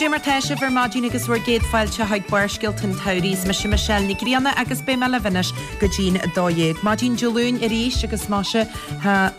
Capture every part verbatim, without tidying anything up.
Goidé mar tá sibh ar maidin agus bhur gcéad fáilte chuig Barrscéalta an tsamhraidh. Is mise Michelle Ní Ghrianna agus beidh mé libh anois go dtí'n dó dhéag. Maidin Dé Luain arís agus maise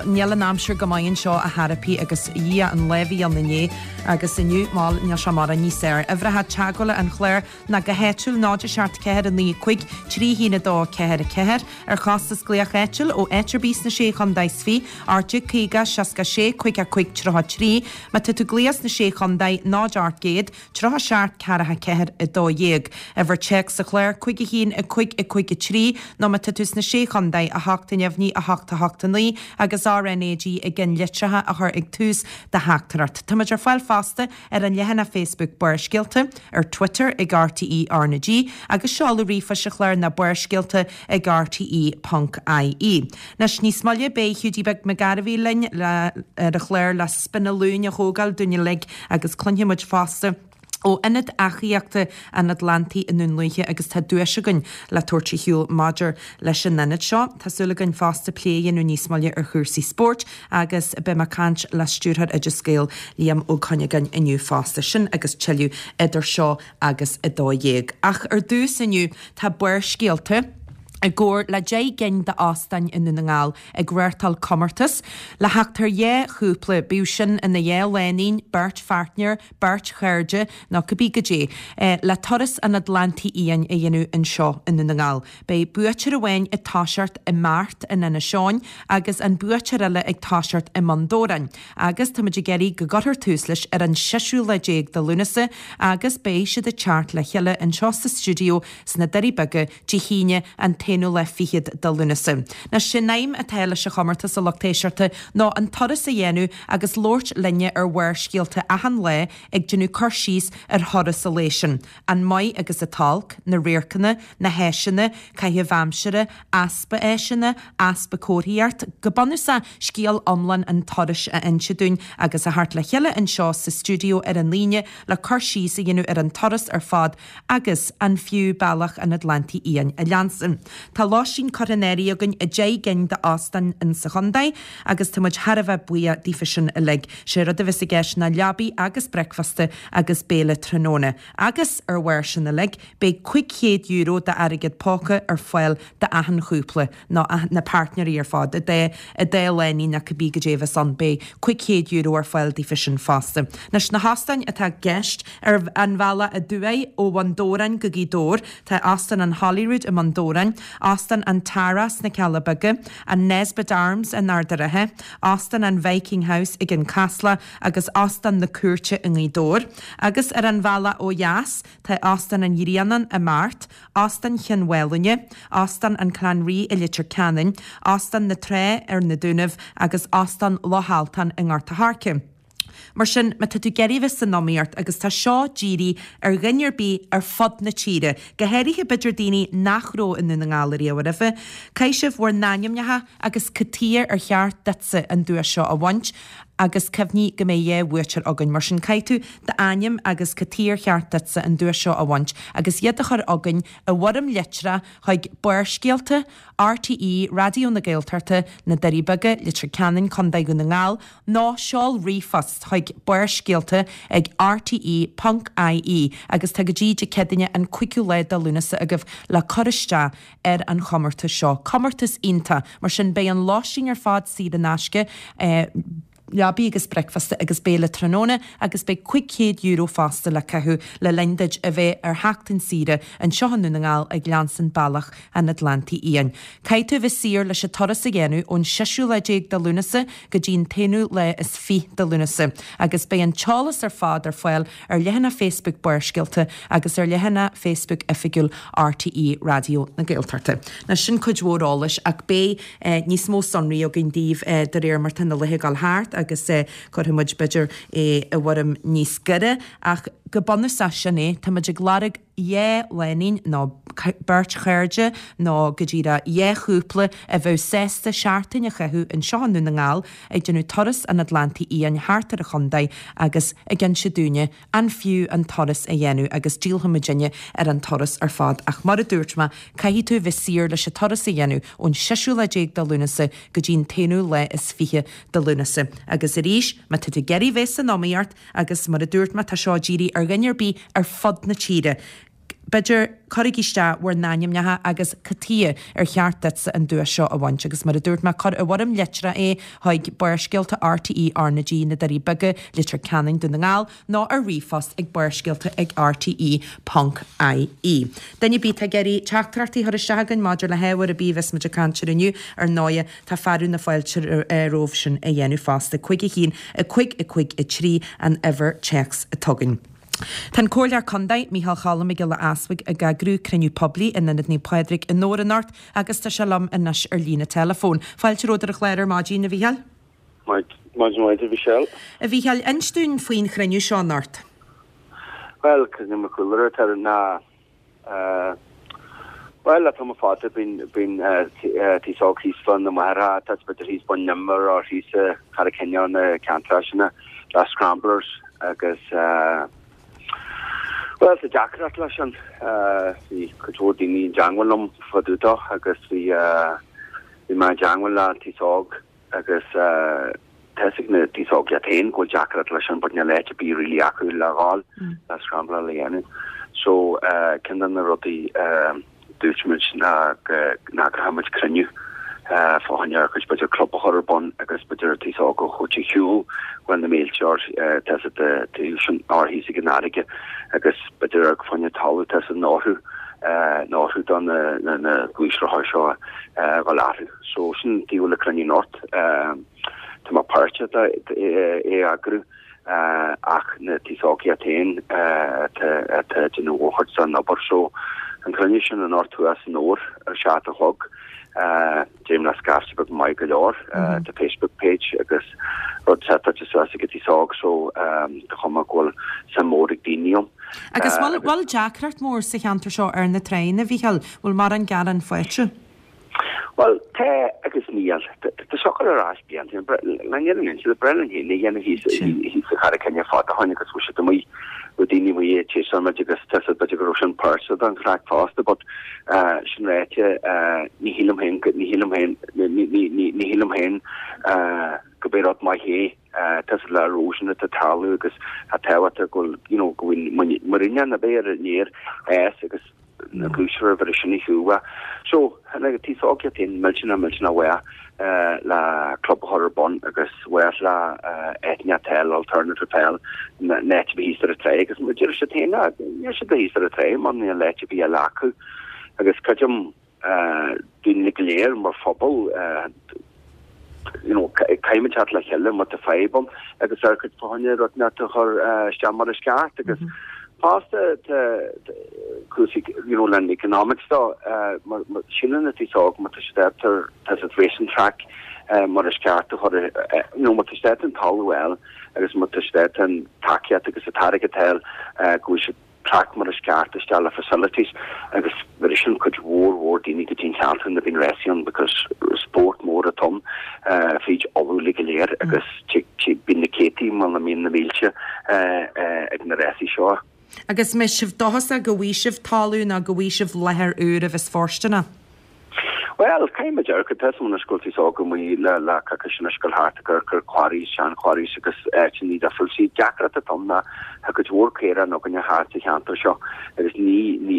níl an aimsir go maith anseo a tharapí agus dhia an lá a bhí ann inné agus inniu má níl sé mar níos fearr. Uimhreacha teagmhála an chláir ná go háitiúil náid seacht ceathair a naoi cúig trí haon a dó ceathair a ceathair ar chostas glaoch áitiúil ó áit ar bith sna sé chontae is fiche ocht déag caoga seasca sé cúig a cúig tríocha trí má tá tú ag glaoch sna sé chontae náid ocht gcéad tríocha seacht ceathracha ceathair a dó dhéag. Uimhir téacs sa chlár cúig a haon a cúig a cúig a trí nó má tá tú sna sé chontae a hocht neamhní a hocht a hocht a naoi agus RNAG i gceannlitreacha a chur ag tús do theachtaireacht. Táimid ar fáil fosta ar an leathanach Facebook Barrscéalta, ar Twitter ag RTE RnaG agus seoladh ríomhphoist an chláir ná barrscéalta ag RTE.ie. Anois níos moille beidh Hiúdaí Beag Mac Gairbhí linn le ar an chlár le spinalún a thógáil dúinn uilig agus cluinfidh muid fosta ó Ionad Eachaíochta an Atlantaigh i nDún Lúiche agus tá duais againn le tabhairt ar shiúl maidir leis an ionad seo. Tá súil againn fosta plé a dhéanamh níos moille ar chúrsaí spóirt agus beidh mé ag caint le stiúrthóir Oideas Gael Liam Ó Cuinneagáin inniu fosta sin agus tuilleadh idir seo agus a dó dhéag. Ach ar dtús inniu tá Barrscéalta i gcomhar le deich gcinn d'óstáin i nDún na nGall ag reáchtáil comórtas le theacht ar dhá chúpla bíodh sin ina dhá lánúin, beirt pháirtnéir, beirt chairde nó cibé goidé, le turas an Atlantaigh Fhiáin a dhéanamh anseo i nDún na nGall. Beidh buaiteoir amháin ag toiseacht i mBeart in Inis Eoghain agus an buaiteoir eile ag toiseacht i mBun Dobhráin. Agus táimid ag iarraidh go gcuirfear tús leis ar an seisiú lá déag de Lúnasa agus beidh siad ag teacht le chéile anseo sa stiúideo sna Doirí Beaga Dé hAoine an t-aonú lá fichead de Lúnasa. Anois sé'n aidhm atá leis an chomórtas a lucht éisteachta ná an turas a dhéanamh agus labhairt linne ar Bharrscéalta achan lá ag déanamh cur síos ar thuras an lae sin, an maith agus an t-olc, na radharcanna, na háiseanna, caitheamh aimsire, easpa áiseanna, easpa comharthaíocht, go bunúsach scéal iomlán an turais a inse dúinn agus a theacht le chéile anseo sa stiúideo ar an Aoine le cur síos a dhéanamh ar an turas ar fad agus an fiú bealach an Atlantaigh Fhiáin a leanstan. Tá lóistín curtha in áirithe againn i deich gcinn d'óstáin insa chontae agus tá muid thar a bheith buíoch daofa sin uilig. Sé rud a bheas i gceist ná leabaí agus bricfeasta agus béile tráthnóna. Agus ar bharr sin uilig, beidh cúig chéad euro d'airgead póca ar fáil d'achan chúpla, nó na páirtnéirí ar fad, an dá an dá lánúin nó cibé goidé a bheas ann, beidh cúig chéad euro ar fáil daofa sin fosta. Anois na hóstáin atá i gceist ar an bhealach aduaidh ó Bhun Dobhráin go Gaoth Dobhair, tá Óstán an Holyrood i mBun Dobhráin, Óstán an Tara sna Cealla Beaga, an Nesbitt Arms in Ard an Rátha, Óstán an Viking House ag an Casla agus Óstán na Cúirte i nGaoth Dobhair. Agus ar an bhealach ó dheas, tá Óstán an Ghrianáin i mBeart, Óstán Chionn Mhálanna, Óstán an Clanree i Leitir Ceanainn, Óstán na Trá ar na Dúnaibh agus Óstán Loch Altan i nGort a' Choirce. Mar sin, má tá tú ag iarraidh bheith san iomaíocht, agus tá seo dírithe ar dhuine ar bith ar fud na tíre, go háirithe b'fhéidir daoine nach raibh i nDún na nGall ariamh roimhe, caithfidh sibh bhur n-ainmneacha agus cad chuige ar cheart duitse an duais seo a bhaint, agus cuimhnigh go mbeidh dhá bhuaiteoir againn. Mar sin, caithfidh tú d'ainm agus cad chuige ar cheart duitse an duais seo a bhaint, agus iad a chur chugainn i bhfoirm litreach chuig Barrscéalta, RTÉ Raidió na Gaeltachta, Na Doirí Beaga, Leitir Ceanainn, Contae Dhún na nGall, nó seol ríomhphost chuig barrscéalta ag rte ponc ie agus tá go dtí Dé Céadaoine an cúigiú lá de Lúnasa agaibh le cur isteach ar an chomórtas seo. Comórtas iontach! Mar sin beidh an lóistín ar fad saor in aisce, leabaí agus bricfeasta agus béile tráthnóna agus beidh cúig chéad euro fosta le caitheamh le linn duit a bheith ar sheachtain saoire anseo i nDún na nGall ag leanstan bealach an Atlantaigh Fhiáin. Caithfidh tú a bheith saor leis an turas a dhéanamh ón seisiú lá déag de Lúnasa go dtí an t-aonú lá is fiche de Lúnasa agus beidh an t-eolas ar fad ar fáil ar leathanach Facebook Barrscéalta agus ar leathanach Facebook oifigiúil RTÉ Raidió na Gaeltachta. Now sin cuid mhór eolais ach beidh níos mó sonraí againn daoibh de réir mar tá na laetha ag dul thart agus cuirfidh muid b'fhéidir é i bhfoirm níos giorra ach go bunúsach sin é, tá muid ag lorg dhá lánúin nó beirt chairde nó go díreach dhá chúpla a bheadh sásta seachtain a chaitheamh anseo i nDún na nGall ag déanamh turas an Atlantaigh Fhiáin thart ar an chontae agus ag inse dúinne an fiú an turas a dhéanamh agus díolfaidh muidinne ar an turas ar fad ach mar a dúirt mé caithfidh tú bheith saor leis an turas a dhéanamh ón seisiú lá déag de Lúnasa go dtí an t-aonú lá is fiche de Lúnasa. Agus arís má tá tú ag iarraidh bheith san iomaíocht agus mar a dúirt mé tá seo dírithe ar dhuine ar bith ar fud na tíre. B'fhéidir cuirigí isteach bhur n-ainmneacha agus cad chuige ar cheart duitse an duais seo a bhaint agus mar a dúirt mé cuir i bhfoirm litreach é chuig Barrscéalta RTÉ R na G na Doirí Beaga Leitir Ceanainn Dún na nGall nó ar ríomhphost ag barrscéalta ag RTE ponc IE. Duine ar bith atá ag iarraidh teachtaireachtaí a chur isteach againn maidir le hábhar ar bith a bheas muid ag caint air inniu ar ndóighe tá fearadh na fáilte romhaibh sin a dhéanamh fosta. Cúig a haon a cúig a cúig a trí an uimhir téacs atá againn. Tá an Comhairleoir Contae, Micheál Choilm Mac Giolla Easbuig ag eagrú cruinniú poiblí in Ionad Naomh Pádraig i nDobhar anocht agus tá sé liom anois ar líne teileafóin. Fáilte romhat ar an chlár ar maidin, a Mhícheáil. Maidin mhaith, a Mhichelle. A Mhícheáil, inis dúinn faoin chruinniú seo anocht. Bhuel, cruinniú mo chúlra atá ná Bhuel, le tamall fada bíonn bíonn aos óg thíos fá na Machaire, tá b'fhéidir thíos Bun Inbhir or thíos i Carraig Chinneá na ceantracha sin le scramblers agus bhuel tá deacracht leis sin. Bhí cuid mhór daoine i dteangmháil liom fá dtaobh dó agus bhí bhí mé i dteangmháil le an t-aos óg agus tá fhios ag na t-aos óg iad féin go bhfuil deacracht leis sin but níl áit ar bith really acu le dhul le scrambláil a dhéanamh. So ceann de na rudaí dúirt muid ná go n-eagródh muid cruinniú fá choinne ar chuid b'fhéidir club a chur ar bun agus b'fhéidir an t-aos óg a thabhairt ar shiúl bhuel na mílte or tá fhios agat sin or thíos ag an fharraige agus b'fhéidir ar fá choinne talamh tá fhios agat orthu orthu do na na na gluaisrothair seo a dhul orthu. So sin taobh le cruinniú anocht. Tá mé páirteach é a eagrú. ach na t-aos óg iad féin atá ag déanamh mórchuid den obair. So an cruinniú sin anocht thuas i nDobhar ar seacht a chlog, deirim le scaifte beag maith go leor, tá Facebook page agus rud setáilte suas ag an t-aos óg so tá cuma go bhfuil suim mór ag daoine ann. Agus bhfuil deacracht mór sa cheantar seo ar na tráigheanna, a Mhícheáil? Bhfuil mórán gearán faighte? Bhuel, tá agus níl. Tá seo ag dul ar ais blianta. Le níl an inse, le breith linn féin a dhéanamh thíos sa Charraig Chinneá fada ó shoin agus bhí siad amuigh, bhí daoine amuigh ag téasáil muid agus tá fhios agat b'fhéidir go raibh sin páirteach den chraic fosta but sin ráite ní shílim féin, ní shílim féin, ní shílim féin go b'é rud maith é. Tá fhios agat le erosion atá ag tarlú agus tá tábhacht go bhfuil, you know, go bhfuil muiríneach a bheith ar an aer agus na gluaisrothair a bheith sin ar shiúl. So, na t-aos óg iad féin millteanach millteanach mhaith le club a chur ar bun agus mhaith le áiteanna a fháil, alternative a fháil, in áit a bheith thíos ar an tráigh agus mar deir siad féin, níl siad thíos ar an tráigh mar níl áit ar bith eile acu. Agus creidim daoine go léir mar phobal, you know, caithfimid teacht le chéile má tá fadhb ann agus ar cuid fá choinne rud inteacht a chur isteach mar is ceart agus fosta tá cúrsaí you know, le economics dó mar síleann na t-aos óg má tá siad ábalta tá siad racing track mar is ceart a chur you know, má tá siad ábalta an talamh a fháil agus má tá siad ábalta an tacaíocht agus an t-airgead a fháil go bhfuil siad track mar is ceart isteach le facilities agus ritheann cuid mhór mhór daoine go dtí an ceantar nuair a bhíonn rásaí ann because spórt mór atá ann fríd Uladh uilig go léir agus bíonn na céadtaí muna mbíonn na mílte ag na rásaí seo. Agus mbeidh sibh dóchasach go bhfaighidh sibh talamh nó go bhfaighidh sibh láthair úr a bheas fóirsteanach? Bhuel, caithfidh muid amharc, tá fhios agam anois go bhfuil t-aos óg amuigh le le coicís anois ag dul thart ag amharc ar quarries, sean quarries agus áiteanna difriúil. Sí deacracht atá ann ná tá cuid mhór caorán againne thart sa cheantar seo agus ní, ní,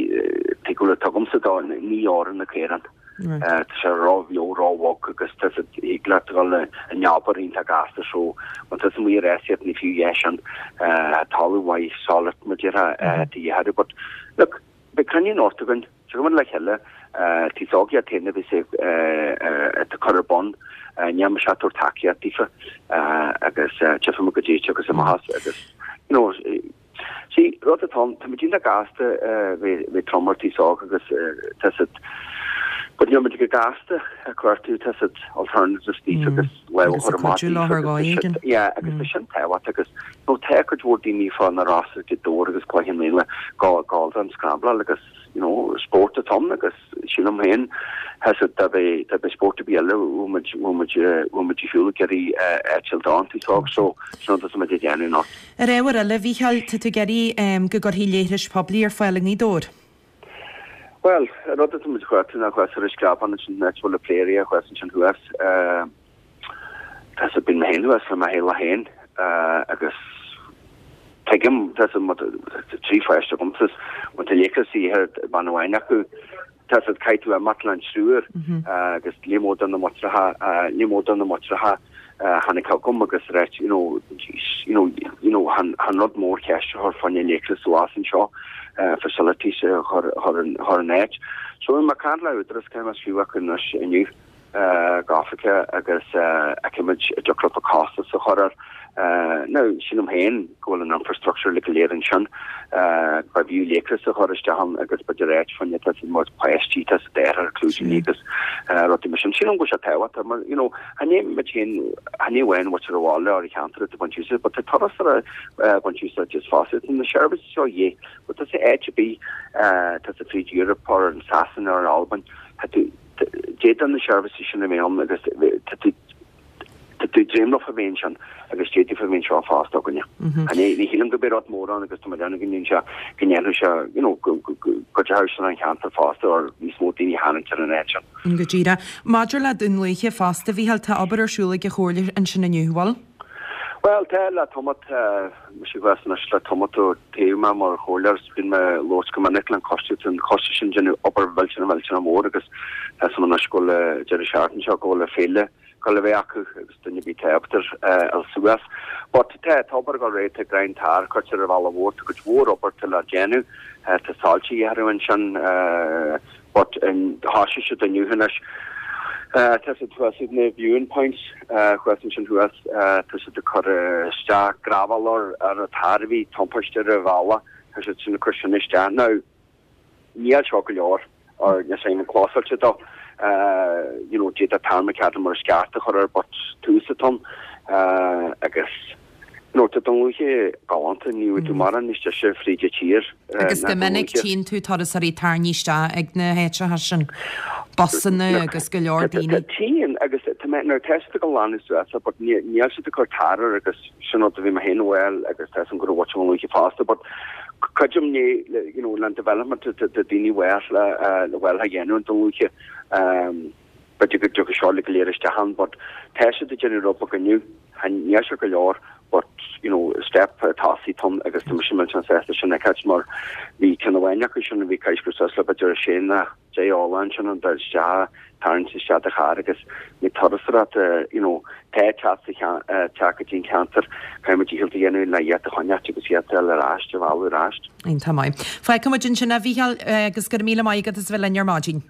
tuig go bhfuil tugaimse dó, ní fhóireann na caoráin. Tá sé ró-bheo, ró-bhog agus tá fhios agat, thig leat dul in obair iontach gasta so má tá tusa amuigh ag rásaíocht ní fiú é sin. Talamh mhaith solid mar déarfá de dhíth orthu but look, Beidh cruinniú anocht againn, tiocfaidh muid le chéile, t-aos óg iad féin a bheas ag cur ar bun, níl mise ag tabhairt tacaíocht daofa agus tchífidh muid goidé a thiocfas amach as agus you know see rud atá ann, tá muid iontach gasta bheith trom ar t-aos óg agus tá fhios agat But níl muid go gasta ag cuartú tá a fhios agat alternatives daofa agus lámh a Agus chur ag amach cuidiú daofa leo ar agus tá dhóigh sin éigin. yeah agus tá sin tábhachtach agus nó tá cuid mhór daoine fá na Rosa Gaoth Dobhair agus Cloich Cheann Fhaola go go don scrambláil agus you know spórt atá ann agus sílim féin tá a fhios agat dá mbeadh dá mbeadh spórt ar bith eile bheadh muid bheadh muid bheadh muid ar shiúl ag iarraidh eitilt ann tú sóg so sin rud atá muid ag déanamh anocht. Ar ábhar eile, a Mhícheáil, tá tú ag iarraidh go gcuirfí leithris poiblí ar fáil i nGaoth Dobhair. Well, an rud atá muid chuat ná chuas ar an Screabán ansin áit a bhfuil an play area thuas ansin thuas. Tá a fhios agat bíonn mé féin thuas le mo theaghlach féin agus tuigim tá a fhios agat trí pháiste agamsa má tá leithreas ar bean amháin acu tá a fhios agat caithfidh tú imeacht le an triúr agus ní mór do na mutracha ní mór do na mutracha tháinig chugam agus reit you know you know you know han han rud mór ceist a chur fá choinne leithreas suas anseo facilities a chur chur an chur an áit. So mé ag caint le údarás cé mas fiú acu anois inniu go hoifigeach agus feicfimid an dtiocfadh leo costas a chur air. Now sílim féin go bhfuil an infrastructure le go léir ansin ba bhfiú leithreas a chur isteach ann agus b'fhéidir áit fá choinne tá a fhios agat mar páistí tá a fhios agat ar clúidíní agus rudaí mar sin. Sílim go bhfuil sé tábhachtach mar you know chan é muid féin chan é amháin muintir an bhaile ar an cheantar atá ag baint úsáid, but tá turasóirí ag baint úsáid as fosta. Tá na seirbhísí seo dhé, but tá sé áit ar bith tá sé fríd Europe or in Sasana or in Albain tá tú d'fhéadfadh na seirbhísí sin a bheith ann agus tá tú tá tú dréimleach a bheith ansin agus d'fhéadfadh a bheith anseo fosta againne. Ní ní shílim go mbeidh rud mór ann agus tá mé ag déanamh go ndéanfaidh sé go ndéanfaidh sé you know go go go go dteachaidh an cheantar fosta or níos mó daoine a tharraingt ar an áit sin. Go díreach. Maidir le Dún Lúiche fosta, a Mhícheáil, tá obair ar siúl ag an chomhairle ansin inniu, bhfuil? Well tá le tamall mise thuas anois le tamall ó toghadh mé mar chomhairleoir is bíonn mé ag labhairt go minic le an coiste an coiste sin déanamh obair mhillteanach mhillteanach mór agus tá a fhios agam anois go bhfuil deireadh seachtaine seo go bhfuil féile go le bheith acu agus duine bí tábhachtar el suas. But tá tá obair go réidh tá grind tar cuirte ar an bhealach mhór tá cuid mhór obair le déanamh tá soilse athrú ansin but thosaigh siad inniu anois. Tá siad thuas ag na viewing points thuas ansin thuas tá siad ag cur isteach gravel ar ar an tar a bhí timpiste ar an bhealach tá siad sin ag cur sin isteach. Now níl seo go leor or níl sé an clásáilte do you know d'fhéadfá tarmacadam mar sceart a chur ar but tús atá ann agus you know tá Dún Lúiche galánta ní bhfuil tú mórán níos deise fríd an tír Agus go minic tchíonn tú turasóirí tarraingthe isteach ag na háiteacha sin, busanna agus go leor daoine. Tchíonn agus tá mé nuair tá siad ag glanadh suas but níl siad ag cur tar air agus sin rud a bhí mé féin well agus tá a fhios agam go raibh Dún Lúiche fosta but creidim ní you know le development de daoine well le le well a dhéanamh an Dún Lúiche um b'fhéidir go dtiocfaidh seo le go léir isteach ann but tá siad ag déanamh rud beag inniu níl sé go leor but you know step tosaigh atá ann agus tá mise millteanach sásta sin a fheiceáil mar bhí ceann amháin acu sin a bhí caisce suas le b'fhéidir sé na deich ola ansin an dul isteach tarraingt isteach do charr agus ní turasóireacht you know tá teacht sa teacht go dtí an ceantar caithfidh muid dícheall a dhéanamh le iad a choinneáil agus iad a fháil ar ais a mhealladh ar ais. Iontach maith. Fágfaidh muid ansin a Mhícheáil agus go raibh míle maith agat as a bheith linn ar maidin.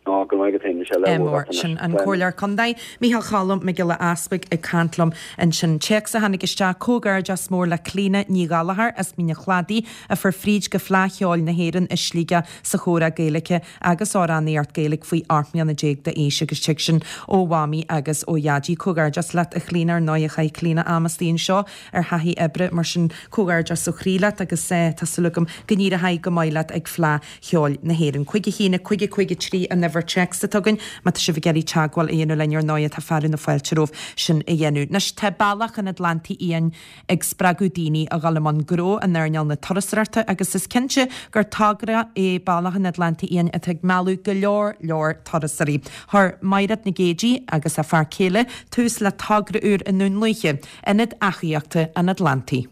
Á, go raibh maith agat féin, Michelle. Mór sin an Comhairleoir Contae, Mícheál Cholm Mac Giolla Easpaig ag caint liom ansin. Téacs a tháinig isteach, Comhghairdeas mór le Clíona Ní Ghallchóir as Mín an Chladaigh a fuair fríd go Fleadh Cheoil na hÉireann i Sligeach sa chomhrá Gaeilge agus amhránaíocht Gaeilge faoi ocht mbliana déag d'aois agus tig sin ó Mhamaí agus ó Dhaidí. Comhghairdeas leat a Chlíona ar ndóigh chaith Clíona am istigh anseo ar thaithí oibre mar sin comhghairdeas ó chroí leat agus tá súil agam go n-éireoidh go maith leat ag Fleadh Cheoil na hÉireann. Cúig a haon, cúig a cúig a trí an uimhir téacs atá againn má tá sibh ag iarraidh teagmháil a dhéanamh linn ar ndóigh tá fearadh na fáilte romhaibh sin a dhéanamh. Anois tá bealach an Atlantaigh Fhiáin ag spreagadh daoine a dhul i mbun gnó in earnáil na turasóireachta agus is cinnte gur togra é bealach an Atlantaigh Fhiáin atá ag mealladh go leor leor turasóirí. Chuir Mairéad Nic Géidigh agus a fear céile tús le togra úr i nDún Lúiche, Ionad Eachaíochta an Atlantaigh.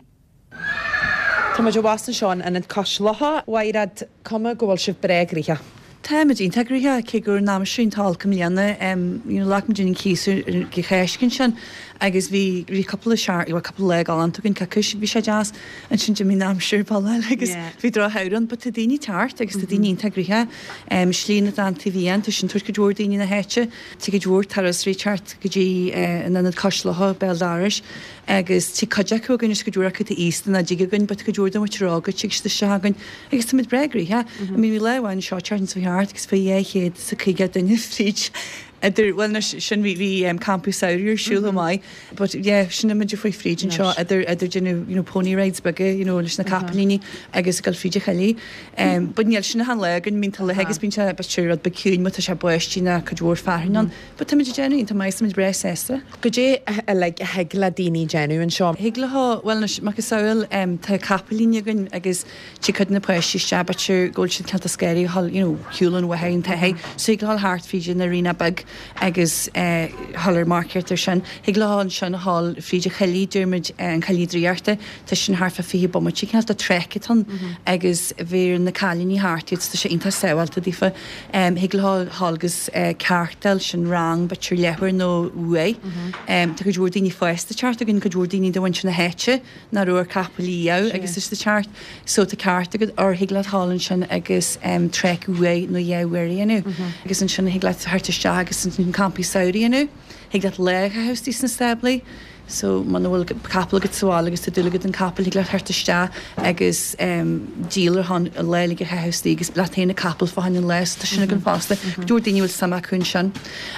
Tá muid abhus anseo in Ionad Cois Locha. Mhairéad, cuma go bhfuil sibh breá gnoitheach. Táimid iontach gnoitheach cé go raibh an aimsir iontach olc i mbliana. You know, ghlac muid an cíos go Cháisc ansin agus bhí bhí cúpla sear bhí cúpla lá galánta againn coicís bhí sé deas ansin d'imigh an aimsir ball agus bhí drochshamhradh ann but tá daoine ag teacht agus tá daoine iontach gnoitheach. Slí an Atlantaigh Fhiáin tá sin tabhairt cuid mhór daoine na háite, tá cuid mhór turasóirí ag teacht go dtí an ionad Cois Locha béal dorais agus tá cuid acu againn is cuid mhór acu tá aosta nach dtig againn but cuid mhór den mhuintir óg tig siad isteach againn agus táimid breá gnoitheach. I mean bhí lá amháin seo teacht sa thart agus bhí dhá chéad is a caoga duine fríd idir, bhuel anois sin bhí bhí um, campa samhraidh ar siúl chomh maith but yeah sin muid ag fáil fríd anseo idir idir déanamh you know, pony rides beaga you know, leis na capaillíní agus ag dul fríd an choillidh. Um, but níl sin achan lá againn bíonn tá agus bíonn sé b'fhéidir rud beag ciúin má tá sé báistí nó cuid mhór fearthainn ann. But tá muid ag déanamh iontach maith, tá muid breá sásta. Goidé uilig a thig le daoine déanamh anseo. Thig leo, bhuel anois macasamhail um, tá capaillíní againn agus tig cuid de na páistí isteach b'fhéidir go bhfuil siad cineál scary a dhul you know, shiúl an bhóthair an taithí. So thig leo dhul thart fríd an arena beag agus eh, dhul ar marcaíocht ar sin. Thig leo ansin a dhul fríd an choillidh, deirimid eh, an Coillidh Draíochta, tá sin thart fá fiche bomaite cineál de trek atá ann agus bheir na cailíní thart iad, tá sé iontach sábháilte daofa. Um, thig leo dhul agus eh, cartáil sin rang b'fhéidir leathuair nó uair. Um, tá cuid mhór daoine fásta ag teacht againn, cuid mhór daoine de mhuintir na háite nach raibh ar capall riamh agus is ag teacht. So tá cairt agat or thig leat dhul ansin agus um, trek uair nó dhá uair a dhéanamh. Agus ansin thig leat theacht isteach agus an campaí samhraidh a dhéanamh. Thig leat lá a chaitheamh istigh sna stáblaí. So muna bhfuil capall agat sa bhaile agus tá dúil agat an capall thig leat theacht isteach agus um, díol ar chun an lá uilig a chaitheamh istigh agus leat féin an capall fá choinne an lae, so tá sin againn fosta. Cuid mhór daoine a bhfuil suim acu ansin.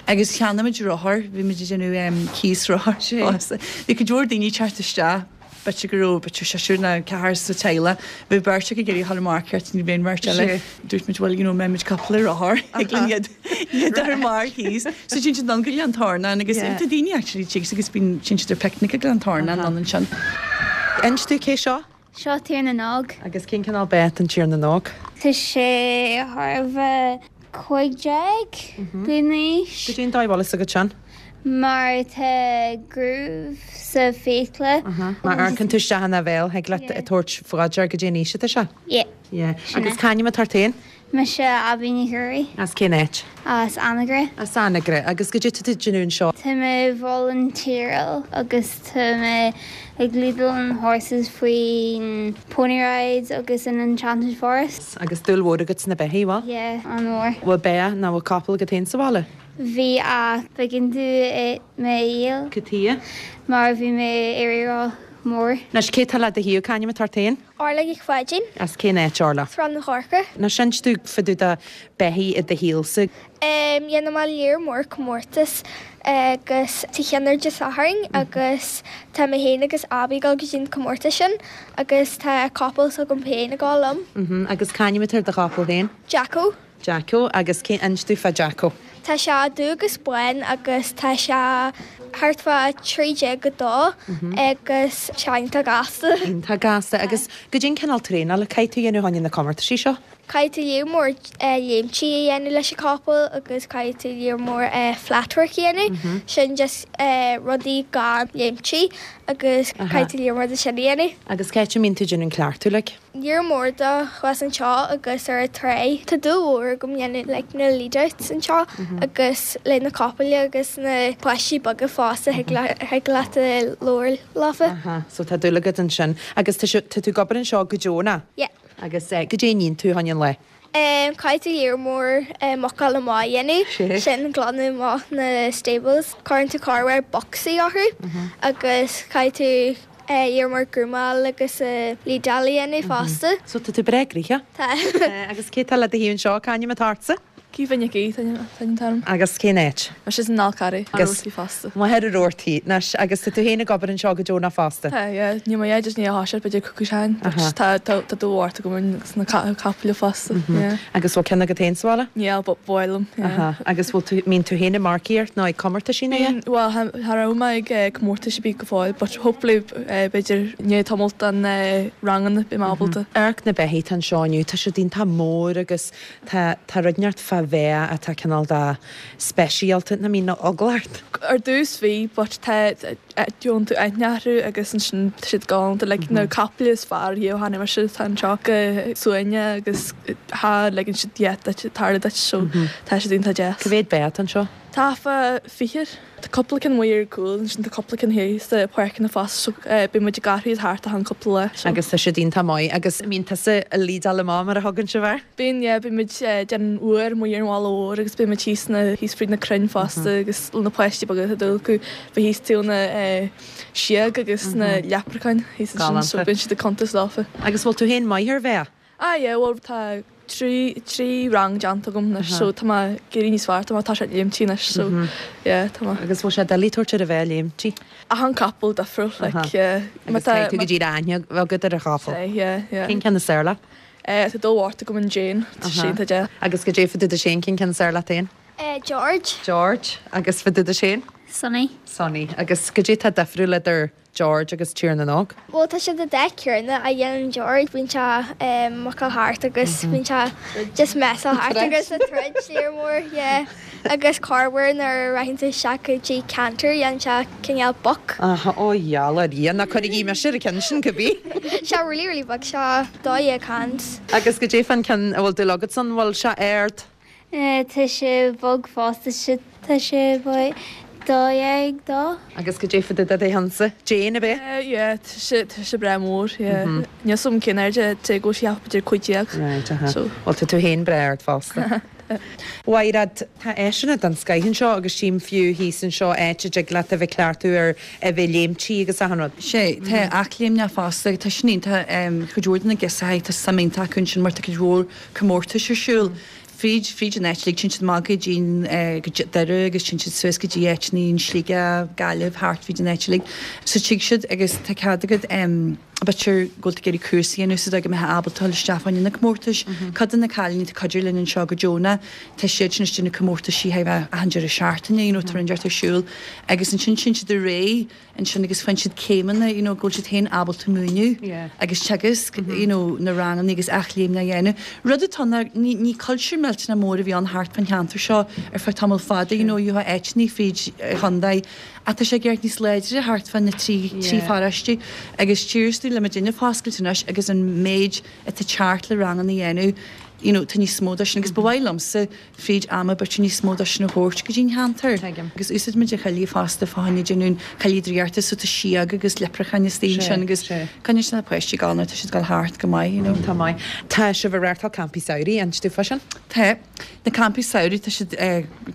Agus cheannaigh muid rothar, bhí muid ag déanamh um, cíos rothar fosta. Bhí cuid mhór daoine ag teacht isteach b'fhéidir go raibh b'fhéidir seisear nó ceathrar sa teaghlach. Bhí beirt acu ag iarraidh dhul ar marcaíocht ní bhíonn beirt eile. Dúirt muid bhuel you know mbeimid cúpla rothar ag linn iad iad ar mar thíos. So téann siad ann go Gleann Tornáin agus tá daoine actually tigh agus bíonn téann siad ar picnic ag Gleann Tornáin ann ansin. Inis dom cé seo? Seo Tír na nÓg. Agus cén cineál ba atá an Tír na nÓg? Tá sé thar a bheith cúig déag bliain d'aois. Goidé an dóigh a bhfuil fhios agat sin? Mar tá groove sa fiacla. Má amharcann tú isteach ina bhéal thig leat a tabhairt faoi deara goidé an aois atá sé? Yeah. Yeah. Sin Agus é. c'ainm atá ort féin? Mise Abby Ní Thuairí. As cén áit? As Anagaire. As Anagaire agus goidé tá tú ag déanamh anseo. Tá mé volunteeráil agus tá mé ag leadáil an horses faoin pony rides agus an Enchanted Forest. Agus dúil mhór agat sna beithígh, bhfuil? Yeah, an-mhór. Bhfuil ba nó bhfuil capall agat féin sa bhaile? Bhí ach b'éigean dom mé a dhíol. Cad chuige? Mar bhí mé éirí mór. Anois cé tá le do thaobh c'ainm atá ort féin? Orla Nic Pháidín. As cén áit Orla? Srath na Corca. Anois inis dom fá dtaobh de beithígh i do shaolsa. Um, Dhéanamh mé lear mór comórtas agus tá ceann ar Dé Sathairn agus tá mé féin agus Abby ag dul go dtí an comórtas sin agus tá capall s'agam féin ag dul liom. Mhm, Agus c'ainm atá ar do chapall féin? Jacko. Jacko agus cé inis dom fá Jacko. Tá sé dubh agus bán agus tá sé thart fá trí déag go dó agus sé iontach gasta. Tá gasta agus goidé an cineál traenála a chaithfidh tú dhéanamh chun na comórtaisí seo? Caithfidh tú lear mór léimtí a dhéanamh leis an capall agus caithfidh tú lear mór flatwork a dhéanamh, sin just rudaí gan léimtí agus caithfidh tú lear mór de sin a dhéanamh. Agus cá háit a mbíonn tú déanamh an cleachtadh like? Lear mór de thuas anseo agus ar an trá. Tá dúil mhór agam dhéanamh like na lead-outs anseo agus le na capaill agus na páistí beaga fosta thig leat a labhairt leofa. Aha, so tá dúil agat ansin agus tá sé- tá tú ag obair anseo go deo ná? Yeah. Agus eh, goidé a níonn tú chun an lae. Um, caithfidh tú lear mór um, mucáil amach a dhéanamh, Sé. sin glanadh amach na stables. Cuireann tú corruair bocsaí orthu agus caithfidh tú uh, lear mór grúmáil agus uh, leadáil a dhéanamh fosta. So tá tú breá gnoitheach? Tá. Eh, agus cé tá le do thaobh anseo c'ainm atá ortsa? Caoimhe Nic Aoidh an t-ainm. Agus cén áit? Mar sin an Carraí Agus- fosta. Má ar ortaí nas agus tá tú féin ag obair anseo go deo ná fosta. Tá ní má just ní há beidir cúcú sein tá tá dúhart go na capaill fosta. Agus bhfuil ceann agat féin sa bhaile? Ní bhilm. Aha, agus bhfuil tú mbíonn tú féin ag marcaíocht nó ag comórtaisí é? Well cha raibh mé ag comórtais bí go fóill, but hopefully b'fhéidir ní tamalt an rangan bí ábalta. Amharc na beithígh anseo inniu, tá siad iontach mór agus tá tá rud inteacht fá bheith atá cineál de speisialta na mín na eagla ort. Ar dtús bhí, but tá dún tú aithnearú agus ansin siad galánta le na capaill is fearr riamh tháinig mar siad tá anseo go suaimhneach agus thá le siad dhéit tar duit so tá siad iontach deas. Cá mhéad ba atá anseo? Tá fá fiche Tá cúpla ceann amuigh ar cúl sin tá cúpla ceann thíos sa páirceanna fosta so bíonn muid ag athrú thart a han cúpla lá. so. Agus tá siad iontach maith agus mbíonn tusa ag leadáil amach mar a thugann sibh air? Bíonn yeah, bíonn muid déanamh uair amuigh ar an bhalla mhór agus bíonn muid thíos na thíos fríd na crainn fosta agus na páistí beaga tá dúil acu bheith thíos taobh na sióg agus na leprechauns thíos ansin, so Galánta. bíonn siad ag cuntas leofa. Agus bhfuil tú féin maith ar bheith? Ah yeah, well tá trí trí rang déanta agam anois so tá mé ag éirí níos fearr tá mé tá sé léimtí anois so yeah tá mé. Agus bhfuil sé doiligh tabhairt ar a bheith léimtí? Achan capall difriúil like yeah. Agus caithfidh tú go dtí aithne agat ar an chapall. Yeah yeah. Cén ceann is fearr leat? Eh tá dó mhart agam an Jane tá sé iontach deas. Agus goidé fá dtaobh de Shane cén ceann is fearr leat féin? Eh George. George. Agus fá dtaobh de Shane? Sonny. Sonny. Agus goidé atá difriúil idir George agus Tír na nÓg? Bhuel tá siad an dá chéanna a dhéanann George, bíonn sé mucáil thart agus bíonn sé just messáil thart agus ag troid léir mór, yeah. Agus corruair nuair a raghann tú isteach go dtí canter dhéanann sé cineál buck. Aha, ó gheall ar Dhia, ná cuirigí mise ar an ceann sin cibé. Sé really really bog, sé dó dhéag hands. Agus goidé fán ceann a bhfuil dúil agat san, bhfuil sé ard? Tá sé bog fosta, tá sé about dó dhéag dó. Agus goidé fá dtaobh de Hansa? Jane, ab ea? Yeah, tá sé tá sé breá mór, yeah. Níl 's agam cén airde tá go sé b'fhéidir cúig déag. Right, aha. So. Bhuel tá tú féin breá ard fosta. Mhaighread, tá áiseanna den scoith anseo agus tchím fiú thíos anseo áit a dtig leat a bheith ag cleachtadh ar a bheith léimtí agus achan rud. Sé, tá athléimneach fosta, tá sin iontach, cuid mhór de na girseachaí, tá suim iontach acu ansin mar tá cuid mhór comórtais ar siúl. Fríd, fríd an áit uilig, téann siad amach go dtí go Doire agus téann siad suas go dtí áiteanna in Sligeach, Gaillimh, thart fríd an áit uilig. So tig siad agus tá cead agat b'fhéidir go bhfuil tú ag iarraidh cúrsa a dhéanamh sa dóigh go mbeifeá ábalta dul isteach fá choinne na comórtais. Cuid de na cailíní atá ag cuidiú linn anseo go deonach, tá siad sin istigh na comórtaisí achan deireadh seachtaine, you know, tá rud inteacht ar siúl. Agus ansin téann siad ar aghaidh ansin agus faigheann siad céimeanna, you know, go bhfuil siad féin ábalta múineadh agus teagasc, you know, na ranganna agus athléimne a dhéanamh. Rud atá ná ní ní cultúr millteanach mór a bhí ann thart fán cheantar seo ar feadh tamall fada, you know, gheofá áiteanna fríd an chontae ach tá sé ag éirí níos láidre thart fá na trí trí pharóiste agus tchíos tú le muidinne foscailt anois agus an méid atá teacht le ranganna a dhéanamh, you know, tá níos mó de sin agus ba mhaith liomsa fríd ama b'fhéidir níos mó de sin a thabhairt go dtí an cheantar. Tuigim. Agus úsáid muid an choillidh fosta fá choinne déanamh an choillidh draíochta so tá síog agus leipreacháin istigh ansin agus coinníonn siad na páistí ag gabháil nuair atá siad ag gabháil thart go maith, you know. Tá maith. Tá sibh ag reáchtáil campaí samhraidh, inis domh fá sin? Tá. Na campaí samhraidh, tá siad,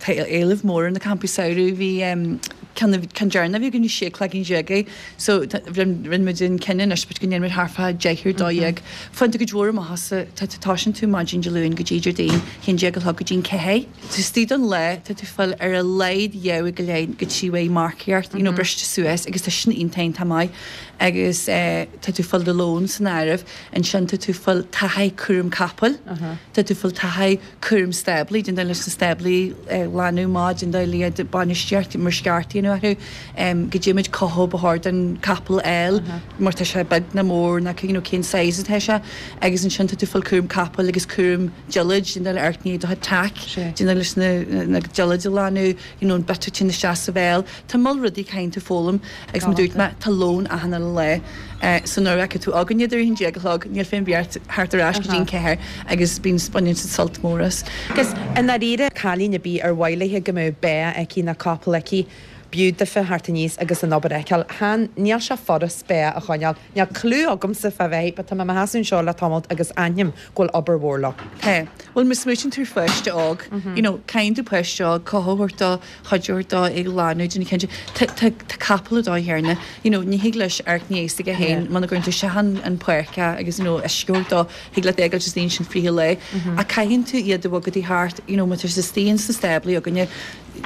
tá éileamh mór ar na campaí samhraidh. Bhí ceann, ceann deireanach a bhí againn bhí sé cloigín déag é so rinne, rinne muid an cinneadh anois go ndéanfaidh muid thart fá deich ar dó dhéag. Faigheann tú cuid mhór amach as, tá tú toisíonn tú maidin Dé Luain go dtí Déardaoin, haon déag a chlog go dtí an ceathair. Tá istigh don lá, tá tú fáil ar a laghad dhá uair go leith go trí uair marcaíocht, you know, briste suas agus tá sin iontach iontach maith agus eh, tá tú fáil do lón san áireamh, ansin tá tú fáil taithí cúram capaill, tá tú fáil taithí cúram stáblaí, déan leis na stáblaí eh, lánú maith, déan le iad bainistíocht mar sceart a dhéanamh orthu, em, go dté muid cothú ba chóir don capall fháil mar tá sé beag ná mór ná you know, cén size atá sé agus ansin tá tú fáil cúram capaill agus cúram diallait, déan le amharc ní do tack, déan leis na, na diallait a lánú, you know, an bit sin isteach sa bhéal. Tá moll rudaí caithfidh tú foghlaim agus mar dúirt mé tá lón achan uile lá. Eh, so nuair a fheicfidh tú againn idir a haon déag a chlog, níl féin beart thart ar ais go dtí an ceathair agus bíonn baineann siad sult mór as. Agus i ndáiríre cailín ar bith ar mhaith léi go mbeadh beá aici nó capall aici, b'fhiú daofa theacht aníos agus an obair a fheiceáil. Chan, níl sé furast beá a choinneáil. Níl clue agamsa fá bheith, but tá mé i mo sheasamh anseo le tamalt agus aithním go bhfuil obair mhór leo. Tá. Bhuel, má smaoitíonn tú ar pháiste óg, you know, caithfidh tú páiste óg, cothú a thabhairt dó, cuidiú a thabhairt dó, é a ghlanadh, déanamh cinnte. Tá, tá, tá capall an dóigh chéanna, you know, ní thig leis amharc ní aige féin muna gcuireann tú isteach an, an pháirc é agus, you know, uisce a thabhairt dó, thig leat é a fhágáil istigh ansin fríth an lae. Ach caithfidh tú iad a bhogadh thart, you know, má tá siad istigh ins na stáblaí againne,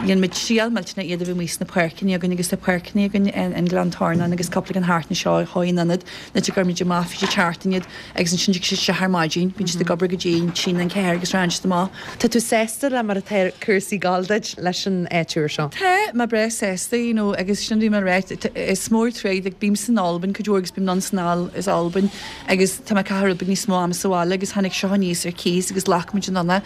dhein muid triail millteanach iad a bheith amuigh sna páirceanna againn agus tá páirceanna againn in, in Gleann Tornáin agus cúpla ceann thart anseo chuaigh in ionad na go gcuir muid amach fríd an tseachtain iad agus ansin tig siad isteach ar maidin, bíonn siad ag obair go dtí an trí nó an ceathair agus rachaidh siad amach. Tá tú sásta le mar atá cúrsaí ag gabháil duit leis an áit úr seo? Tá mé breá sásta, you know, agus sin bhí mé ag rá, is mór tréad, like, bím san Albain cuid mhór agus bím anonn is anall as Albain agus tá mé ag caitheamh rud beag níos mó ama sa bhaile agus tháinig seo aníos ar cíos agus ghlac muid anonn é.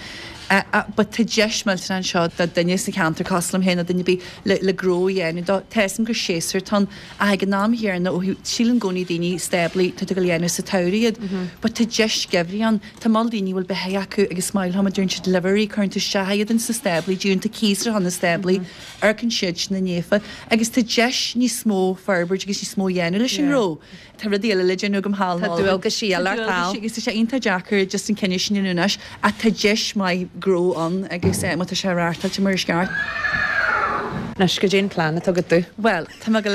Uh, uh, but tá deis millteanach anseo do duine sa cheantar cosúil liom féin nó duine ar bith le, le gnó a dhéanamh dó. Tá 'fhios a'm gur séasúr atá ann ach ag an am chéanna ó thaobh síleann i gcónaí daoine stáblaí tá tú ag dul a dhéanamh sa tsamhradh iad. But tá deis geimhridh ann. Tá moll daoine a bhfuil beithígh acu agus maith liom a deireann siad livery, cuireann tú isteach iad ins na stáblaí, díonn tú cíos ar na stáblaí, amharcann siad sin na néafa agus tá deis níos mó forbairt agus níos mó a dhéanamh leis an ngnó. Tá rudaí eile le déanamh agam thall in Tá Albain. dualgaisí eile Tá ort dualgaisí thall. agus tá sé iontach deacair just an cinneadh sin a dhéanamh anois ach tá deis maith gnó ann agus eh, má tá sé reáchtáilte mar is ceart. Anois goidé an plean atá agat domh. Well, tá mé go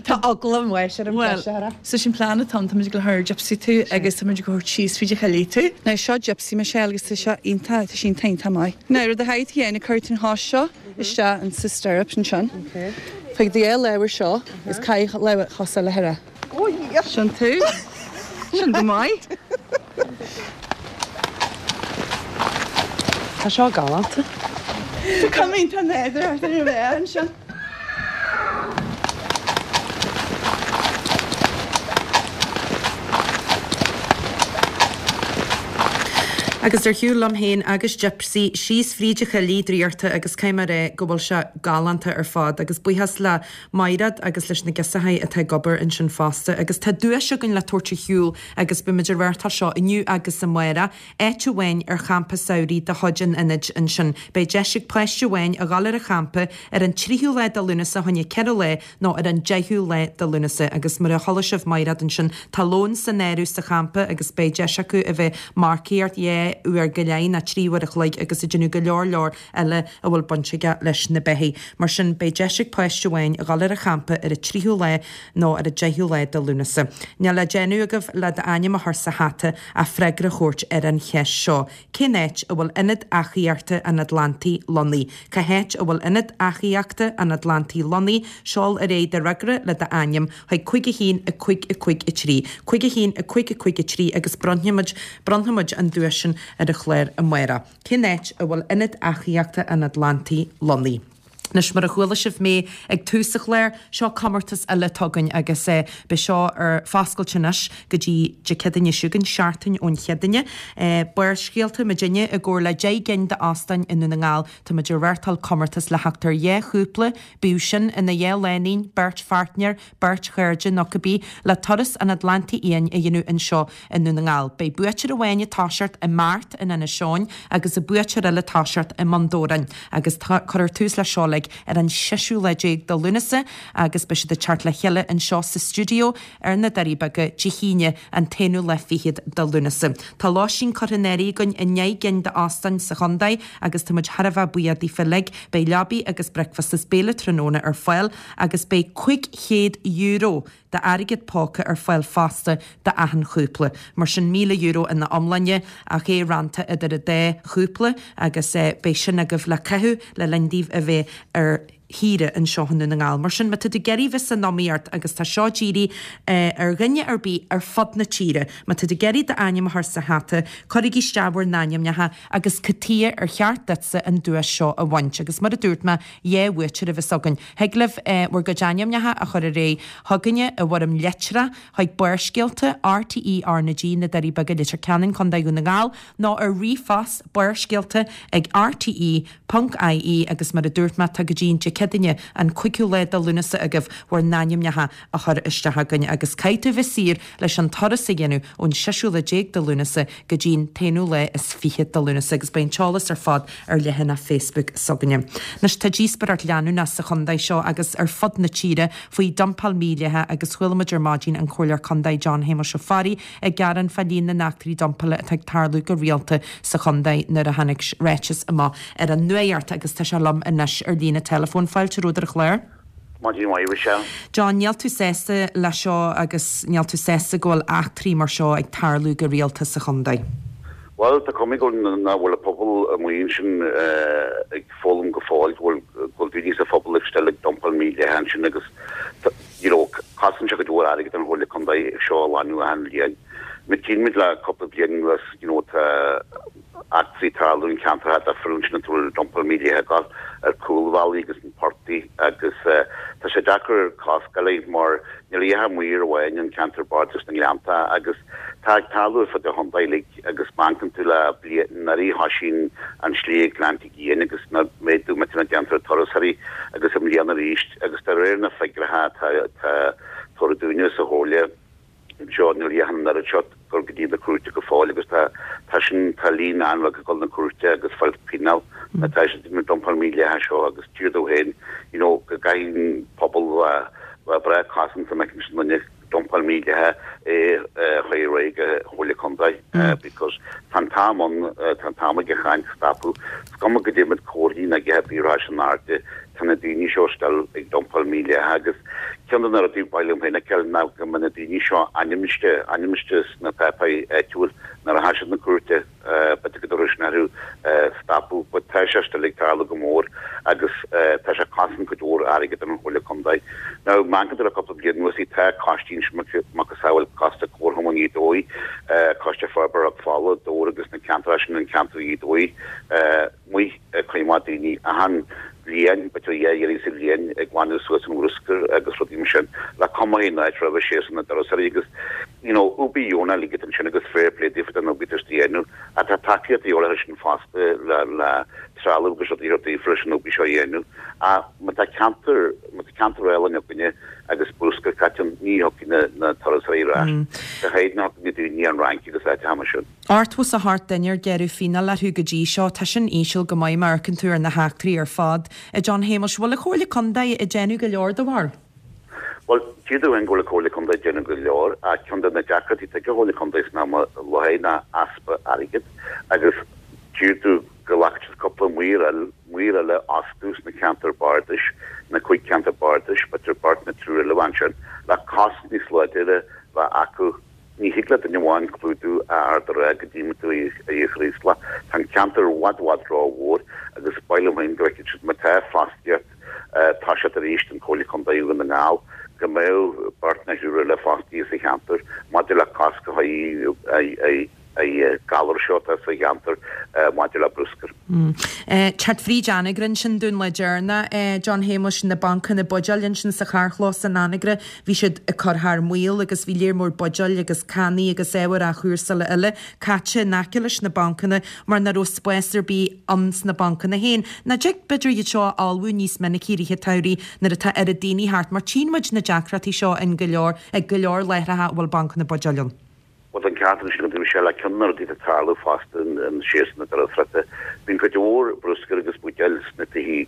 Tá eagla mhaith ar an Well, so sin plean atá tá muid go thir Gypsy tú agus tá muid go síos fríd an choillidh tú. Now seo Gypsy Michelle agus tá seo iontach tá sin iontach maith. Now rud a chaithfidh tú a dhéanamh cuir an chos seo isteach in sa stirrup ansin. Faigh do lámh seo is caith lámh chos eile thar. Sin tú. Sin go maith. Tá seo galánta. Tá cuma tá nádúr ar ar bheith ansin. Agus ar shiúl liom féin agus Gypsy síos fríd an choillidh draíochta agus caithfidh mé a rá go bhfuil sé galánta ar fad agus buíochas le Maighread agus leis na girseachaí atá ag obair ansin fosta agus tá duais againn le tabhairt ar shiúl agus beimid ag reáchtáil seo inniu agus amárach, áit amháin ar champa samhraidh de chuid an ionaid ansin. Beidh deis ag páiste amháin a dhul ar an champa ar an tríú lá de Lúnasa choinne ceithre lá nó ar an deichiú lá de Lúnasa agus mar a chuala sibh Maighread ansin tá lón san áireamh sa champa agus beidh deis acu a bheith marcaíocht dhá uair go leith nó trí uair a chloig agus ag déanamh go leor leor eile a bhfuil baint aige leis na beithígh. Mar sin beidh deis ag páiste amháin a dhul ar an champa ar an tríú lá nó ar an deichiú lá de Lúnasa. Níl le déanamh agaibh le d'ainm a chur sa hata ach freagra a thabhairt ar an cheist seo. Cén áit a bhfuil ionad eachaíochta an Atlantaigh lonnaithe? Cá háit a bhfuil ionad eachaíochta an Atlantaigh lonnaithe? Seol ar aghaidh do fhreagra le d'ainm chuig cúig a haon a cúig a cúig a trí. Cúig a haon a cúig a cúig a trí agus bronnfaimid bronnfaimid an duais sin ar an chlár amárach. Cén áit a bhfuil ionad eachaíochta an Atlantaigh lonnaithe? Anois mar a chuala sibh mé ag tús an chláir, seo comórtas eile atá againn agus eh, beidh seo ar foscailt anois go dtí Dé Céadaoine seo chugainn, seachtain ón Chéadaoine. Eh, Barrscéalta muidinne i gcomhar le deich gcinn d'óstáin i nDún na nGall, tá muid ag reáchtáil comórtas le theacht ar dhá chúpla, bíodh sin ina dhá lánúin, beirt pháirtnéir, beirt chairde nó cibé, le turas an Atlantaigh Fhiáin a dhéanamh anseo i nDún na nGall. Beidh buaiteoir amháin ag toiseacht i mBeart in Inis Eoghain agus an buaiteoir eile ag toiseacht i mBun Dobhráin agus cuirfear tús leis seo uilig ar an seisiú lá déag de Lúnasa agus beidh siad ag teacht le chéile anseo sa stiúideo ar na Doirí Beaga Dé hAoine an t-aonú lá fichead de Lúnasa. Tá lóistín curtha in áirithe againn i ndeich gcinn d'óstáin sa chontae agus tá muid thar a bheith buíoch daofa uilig. Beidh leabaí agus bricfeasta is béile tráthnóna ar fáil agus beidh cúig chéad euro d'airgead póca ar fáil fosta d'achan chúpla. Mar sin míle euro ina iomláine ach é rannta idir an dá chúpla agus beidh sin agaibh le caitheamh le linn daoibh a bheith ar shaoire anseo i nDún na nGall. Mar sin má tá tú ag iarraidh bheith san iomaíocht agus tá seo dírithe ar dhuine ar bith ar fud na tíre, má tá tú ag iarraidh d'ainm a chur sa hata, cuirigí isteach bhur n-ainmneacha agus cad chuige ar cheart duitse an duais seo a bhaint. Agus mar a dúirt mé, dhá bhuaiteoir a bheas againn. Thig libh bhur gcuid ainmneacha a chur ar aghaidh chugainne i bhfoirm litreach chuig Barrscéalta, RTÉ R na G, na Doirí Beaga, Leitir Ceanainn, Contae Dhún na nGall, nó ar ríomhphost barrscéalta ag rte ponc ie agus mar a dúirt mé, tá go dtí an Dé Céadaoine an cúigiú lá de Lúnasa agaibh bhur n-ainmneacha a chur isteach chugainn agus caithfidh tú bheith saor leis an turas a dhéanamh ón seisiú lá déag de Lúnasa go dtí an t-aonú lá is fiche de Lúnasa agus beidh an t-eolas ar fad ar leathanach Facebook s'againne. Anois tá díospóireacht leanúnach sa chontae seo agus ar fud na tíre faoi dumpáil mhídhleathach agus chuala muid ar maidin an Comhairleoir Contae John Shéamuis Ó Fearraigh ag gearán fá líon na n-eachtraí dumpála atá ag tarlú go rialta sa chontae nuair a tháinig ráiteas amach ar an nuacht agus tá sé liom anois ar líne teileafóin. Fáilte romhat ar an chlár. Maidin mhaith, Michelle. John, níl tú sásta le seo agus níl tú sásta go bhfuil eachtraí mar seo ag tarlú go rialta sa chontae. Bhuel, tá cuma go nach bhfuil an pobal amuigh ansin ag foghlaim go fóill go bhfuil go bhfuil daoine sa phobal ag still ag dumpáil mídhleathach ansin agus you know, cosann sé go leor airgead an Chomhairle Contae seo a ghlanadh achan bhliain. Má tchíonn muid le cúpla bliain anuas, you know, tá eachtraí ag tarlú in ceantracha difriúla ansin atá bhfuil dumpáil mídhleathach ag gabháil ar cúlbhealaí agus na portaigh agus tá sé deacair cosc a fháil mar níl a dhath amuigh ar amháin an ceantar bardais na nGleannta agus tá ag tarlú ar fud an chontae uilig agus má amharcann tú le bliain anuraidh thoisigh an slí ag Gleannta Fhiáin agus na méadú millteanach déanta ar turasóirí agus i mbliana arís agus de réir na figiúireacha atá atá tabhartha dúinne sa Chomhairle anseo níl a dhath an oiread seo ag dul go dtí na cúirte go fóill agus tá tá sin tá líon an-bheag ag dul na cúirte agus fáil pionóis má tá siad ag dumpáil mídhleathach seo agus tír dó féin you know go gcaithfidh an pobal bheith bheith breá cosanta má fheiceann siad duine dumpáil mídhleathach é a chur ar aghaidh go Chomhairle Contae because tá an t-am ann tá an t-am ag an chaint stopadh. Is cuma goidé muid comharthaí ná a dhath ar bith in airde tá na daoine seo still ag dumpáil mídhleathach agus Ceann de na rudaí ba mhaith liom féin a fheiceáil ná go mbeadh na daoine seo ainmniste, ainmniste sna páipéirí áitiúil nuair a tha siad na cúirte, b'fhéidir go dtabharfadh sin orthu stopadh but tá sé still ag tarlú go mór agus tá sé ag cosaint cuid mhór airgead don Chomhairle Contae. Now má amharcann tú le cúpla bliain anuas tá coistí ansin macasamhail Coiste Comharchumann Ghaoth Dobhair, Coiste Forbartha Eochaill Fála, Dobhar agus na ceantair sin an ceantar Ghaoth Dobhair amuigh ag coimeád daoine achan bhliain, b'fhéidir dhá iarraidh sa bhliain ag glanadh suas an bhruscar agus rudaí mar sin, le cuma an áit roimhe séasúr na dturasóirí agus you know obair dheonach a ligean ansin agus fair play daofa don obair atá siad a dhéanamh ach tá tacaíocht de dhíobháil air sin fosta le le trealamh agus rudaí a thabhairt daofa leis an obair seo a dhéanamh ach má tá ceantar má tá ceantar álainn againne agus bruscar caite ann ní thiocfaidh na na turasóirí ar ais go háirid ní thiocfaidh na daoine ón Fhrainc agus áiteacha mar sin. Ochtó is a hocht duine ar gearradh fíneáil orthu go dtí seo. Tá sin íseal go maith má amharcann tú ar na heachtraí ar fad. A John Shéamuis, bhfuil an Chomhairle Contae ag déanamh go leor do bharúil? Bhuel, d'iarr tú go bhfuil an Chomhairle Contae ag déanamh go leor ach ceann de na deacrachtaí atá ag an Chomhairle Contae san am i láthair ná easpa airgid agus d'iarr tú go nglacfadh siad cúpla maor eile, maor eile a fhostú sna ceantair bardais, na cúig ceantar bardais, b'fhéidir beirt nó triúr eile ansin, le cosc níos láidire bheith acu. Ní thig le duine amháin clúdú Ard an Rátha go dtí tú i Chraoslach. Tá an ceantar i bhfad bhfad rómhór agus ba mhaith liom féin go bhfeicfeadh siad má tá fostaíocht ag toiseacht arís don Chomhairle Contae Dhún na nGall go mbeadh beirt nó triúr eile fostaithe sa cheantar maidir le cosc a chur ar an galar seo atá sa cheantar maidir le bruscar. Teacht fríd Anagaire ansin dúinn le deireanach, John Shéamuis, na bancanna buidéil ansin sa charrchlós in Anagaire, bhí siad ag cur thar maoil agus bhí léar mór buidéil agus cannaí agus ábhair athchúrsála eile caite in aice leis na bancanna mar nach raibh spás ar bith ann sna bancanna féin. Nach dtig b'fhéidir iad seo a fholmhú níos minicí i rith an tsamhraidh nuair atá oiread daoine thart mar tchíonn muid na deacrachtaí seo in go leor, ag go leor láithreacha a bhfuil bancanna buidéil ann. Bhuel, tá an ceart ansin agat, Michelle, ach ceann de na rudaí atá ag tarlú fosta in séasúr na dturasóireachta, bíonn cuid mhór bruscair agus buidéil sna tithe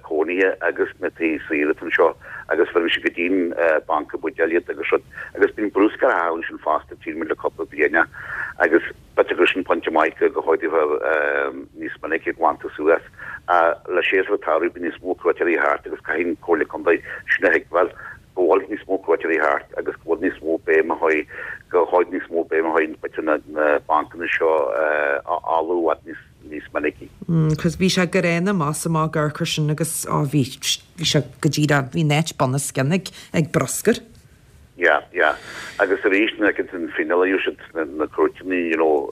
cónaithe agus sna tithe saoire atá anseo agus bheireann siad go dtí'n banca buidéil iad agus rud agus bíonn bruscar á chaitheamh ansin fosta, tchíonn muid le cúpla bliain agus b'fhéidir gur sin pointe maith go go háirithe níos minice ag glantadh suas. Le séasúr an tsamhraidh bíonn níos mó cuairteoirí thart agus caithfidh an Comhairle Contae sin a thuigbheáil. go bhfuil níos mó cuairteoirí thart agus go bhfuil níos mó béim a chur, go bhfuil níos mó béim a chur b'fhéidir na na bancanna seo a fholmhú i bhfad níos níos minicí. Cos bhí sé gránna amach is amach ag amharc air sin agus á bhí bhí sé go díreach bhí an áit bunoscionn ag ag bruscar. Yeah, yeah. Agus arís nuair a fheiceann tú an fíneáil a gheobhaidh siad sna na cúirteanna, you know,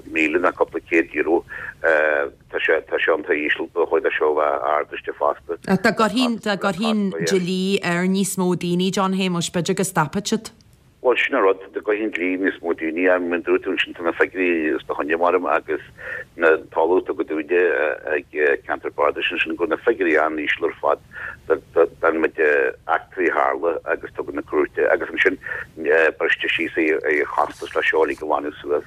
míle nó cúpla céad euro, tá sé tá sé iontach íseal, ba chóir dó seo a bheith ardaithe fosta. Ach dá gcuirfinn dá gcuirfinn dlí ar níos mó daoine, John Shéamuis, b'fhéidir go stopfadh siad. Bhuel, sin an rud, dá gcuirfinn dlí níos mó daoine air, mar a dúirt tú ansin, tá na figiúirí os do choinne mar agus na talamh tugtha dúinne ag ceantar bardais ansin go bhfuil na figiúirí an-íseal ar fad don méid eachtraí a tharla agus tugadh na cúirte agus ansin briste síos ar chostas le seo uilig a ghlanadh suas.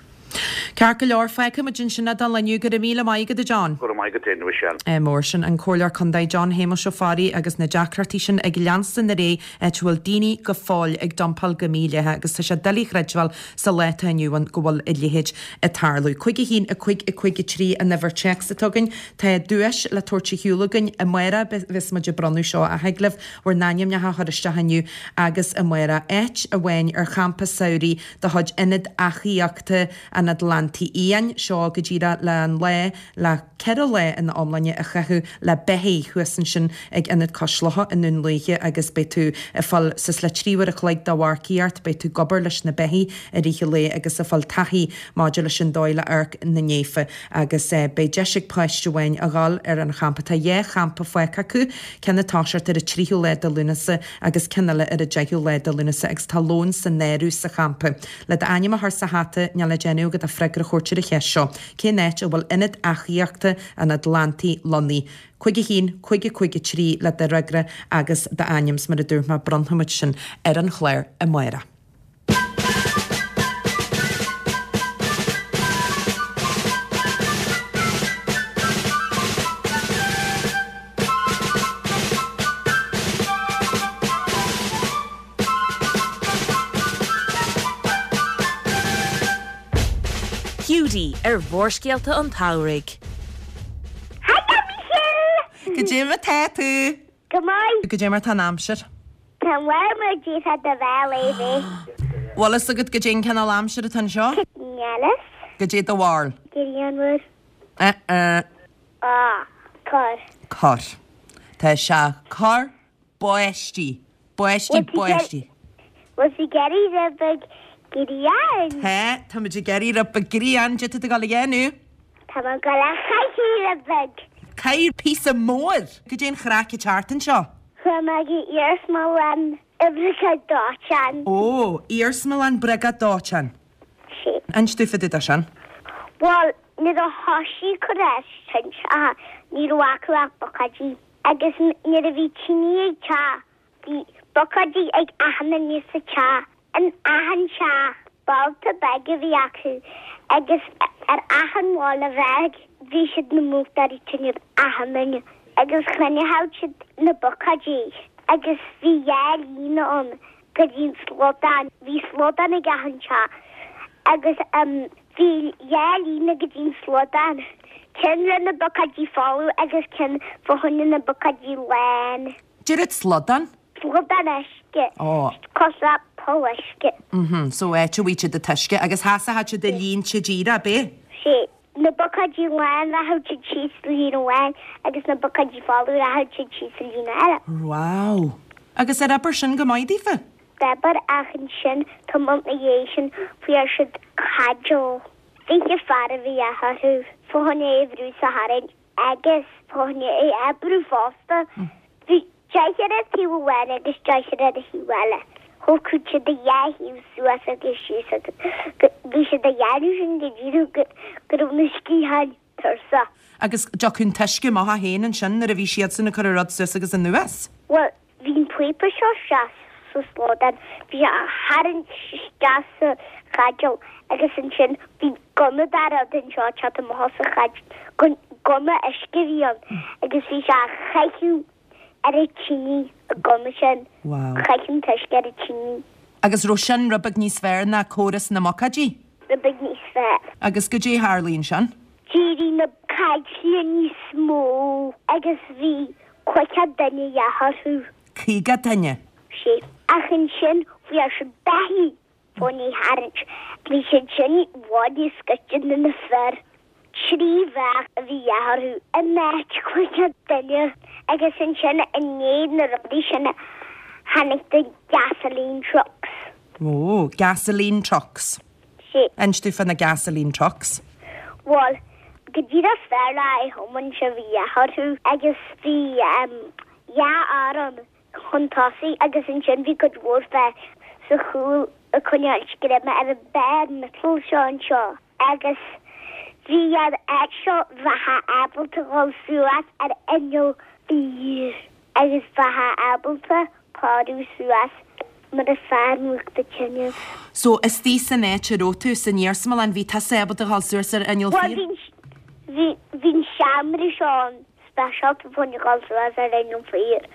Ceart go leor, fágfaidh muid ansin é don lá inniu. Go raibh míle maith agat, a John. Go raibh maith agat féin, a Mhichelle. Mór sin an Comhairleoir Contae John Shéamuis Ó Fearraigh agus na deacrachtaí sin ag leanstan ar aghaidh áit a bhfuil daoine go fóill ag dumpáil go mídhleathach agus tá sé doiligh a chreidbheáil sa lá atá inniu ann go bhfuil a leithéid ag tarlú. Cúig a haon, a cúig, a cúig a trí an uimhir téacs atá againn. Tá duais le tabhairt ar shiúl againn amárach bheas muid ag bronnadh seo ach thig libh bhur n-ainmneacha a chur isteach inniu agus amárach áit amháin ar champa samhraidh de chuid Ionad Eachaíochta an Atlantaigh Fhiáin seo go díreach le an lá le ceithre lá ina iomláine a chaitheamh le beithígh thuas ansin ag Ionad Cois Locha i nDún Lúiche agus beidh tú ag fáil suas le trí uair a chloig de mharcaíocht, beidh tú ag obair leis na beithígh i rith an lae agus ag fáil taithí maidir leis an dóigh le amharc na ndéafa agus beidh deis ag páiste amháin a dhul ar an champa. Tá dhá champa fágtha acu, ceann ag toiseacht ar an tríú lá de Lúnasa agus ceann eile ar an deichiú lá de Lúnasa agus tá lón san áireamh sa champa. Le d'ainm a chur sa hata, níl le déanamh agat ach freagra a thabhairt ar an cheist seo, Cén áit a bhfuil Ionad Eachaíochta an Atlantaigh lonnaithe? Cúig a haon, cúig a cúig a trí le do fhreagra agus d'ainm, 's mar a dúirt mé, bronnfaimid sin ar an chlár amárach. Hiúdaí ar Mhórscéalta an tSamhraidh. Hello Michelle! Goidé mar tá tú? Go maith. Goidé mar tá an aimsir? Tá bhfuil díta de bheith léi. Bhfuil fhios agat goidé an cineál aimsir atá anseo? Níl fhios. Goidé do bharúil. Grianmhar. Eh eh. Ah, corr. Corr. Tá sé corr báistí. Báistí, báistí. Bhfuil tú ag iarraidh rud beag grian? Tá, tá muid ag iarraidh rud beag grian, goidé tá tú ag dul a dhéanamh? Tá mé ag dul a chaitheamh rud beag. Caith píosa mór! Goidé an chraic ag teacht anseo? Chuaigh mé go iarsmalann oibreacha dóiteáin. Ó, iarsmalann briogáid dóiteáin. Sí. Inis domh fá dtaobh de sin. Bhuel, nuair a thoisigh cur ar tinte, ní raibh acu ach buicéidí. Agus nuair a bhí tine ag teach, bhí buicéidí ag achan duine sa teach. In achan teach, bolta beag a bhí acu agus ar achan bhalla bheag bhí siad na múchtóirí tine achan duine. Agus choinneodh siad na buicéidí agus bhí dhá líne ann go dtí an slaghdán. Bhí slaghdán ag achan teach agus bhí dhá líne go dtí an slaghdán. Ceann le na buicéidí folamh agus ceann fá choinne na buicéidí lán. Dúirt slaghdán? Slaghdán uisce. Ó. Cosúil le poll uisce. Mhm, so áit a bhfuil siad an t-uisce agus sheasfadh siad i línte díreach, ab é? Sé. Na buicéidí lán rachadh siad síos sa líne amháin agus na buicéidí folamh rachadh siad síos sa líne eile. Wow! Agus ar oibir sin go maith daofa? D'oibir ach ansin tamall ina dhiaidh sin fuair siad caidéal. Fiche fear a bhí orthu fá choinne é a bhrú is a tharraingt agus fá choinne é a oibriú fosta. Bhí deichniúr ar taobh amháin agus deichniúr ar an thaobh eile. Thógfadh siad a dhá thaobh suas agus síos agus bhí siad a dhéanamh sin go dtí go raibh na sciatháin tuirseach. Agus dtiocfadh an t-uisce amach as féin ansin nuair a bhí siadsan ag cur an rud suas agus anuas? Bhuel, bhí an píopa seo isteach sa slaghdán, bhí sé á tharraingt isteach sa chaidéal agus ansin bhí gunna de rud anseo ag teacht amach as an chaidéal, gunna uisce a bhí ann agus bhí sé á chaitheamh ar an tine, an gunna sin. Wow. Chaith an t-uisce ar an tine. Agus raibh sin rud beag níos fearr ná córas na mbuicéidí? Rud beag níos fearr. Agus goidé a tharlaigh ansin? D'éirigh na caidéil níos mó agus bhí caoga duine a dhíth orthu. Caoga duine? Sé. Ach ansin fuair siad beithígh fá choinne é a tharraingt. Bhí siad sin i bhfad níos gaiste ná na fir. Trí bheach a bhí a dhíth orthu in áit caoga duine. Agus ansin i ndiaidh na rudaí sin tháinig the gasoline trucks. Ó, gasoline trucks. Sé. Inis domh fá na gasoline trucks. Bhuel, go díreach fear le a thiomáint a bhí a dhíth orthu agus bhí dhá fhear ann chun tosaigh agus ansin bhí cuid mhór fear sa chúl ag coinneáil greim ar an barr miotail seo anseo agus bhí an áit seo bheifeá ábalta dhul suas ar inneall fir agus bheifeá ábalta cóiriú suas mar a fear múchta tine. So istigh san áit a raibh tú san iarsmalann bhí tusa ábalta dhul suas ar inneall fir? Bhuel bhí bhí an seomra seo ann speisialta fá choinne dhul suas ar inneall fir.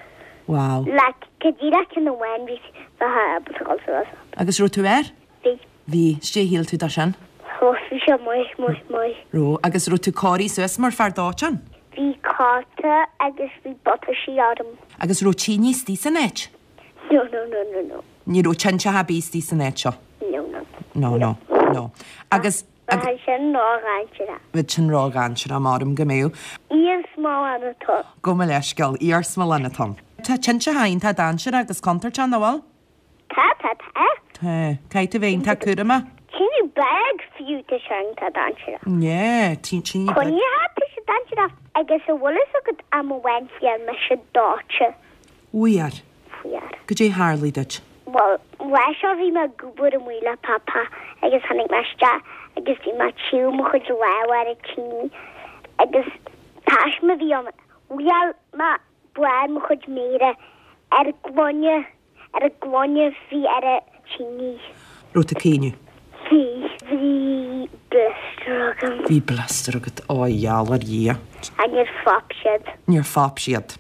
Wow. Like go díreach ceann amháin bhí bheifeá ábalta dhul suas ann. Agus raibh tú air? Bhí. Bhí. Goidé a shíl tú de sin? Ó bhí sé maith, maith, maith. Raibh. Agus raibh tú cóirithe suas mar fear dóiteáin? Bhí cóta agus bhí buataisí orm. Agus raibh tine istigh san áit? No, no, no, no, no. Ní raibh tinte ar bith istigh san áit seo? No, no. No, no, no. Agus, Bheadh sin ródhainséarach. Bheadh sin ródhainséarach, maram go mbeadh. Iarsmalann atá ann. Gabh mo leithscéal, iarsmalann atá ann. Tá tinteacha iontach dainséarach agus contúirteach, nach bhfuil? Tá, tá, tá. Tá. Caithfidh tú bheith iontach cúramach. Tine beag fiú tá sé iontach dainséarach. Yeah, tine beag. Coinnithe tá sé dainséarach. Agus an bhfuil fhios agat am amháin fuair mise dóite. Fuair? Fuair. Goidé tharlaigh duit? Bhuel, lá seo bhí mé ag obair amuigh le Papa agus tháinig mé isteach agus bhí mé ag téamh mo chuid lámh ar an tine agus taisme a bhí ann. Bhuail mé barr mo chuid méire ar an gloine, ar an gloine a bhí ar an tine. Raibh tú ag caoineadh? Bhí. Bhí blister agam. Bhí blister agat, ó a gheall ar Dhia. Ach níor phop siad. Níor phop siad.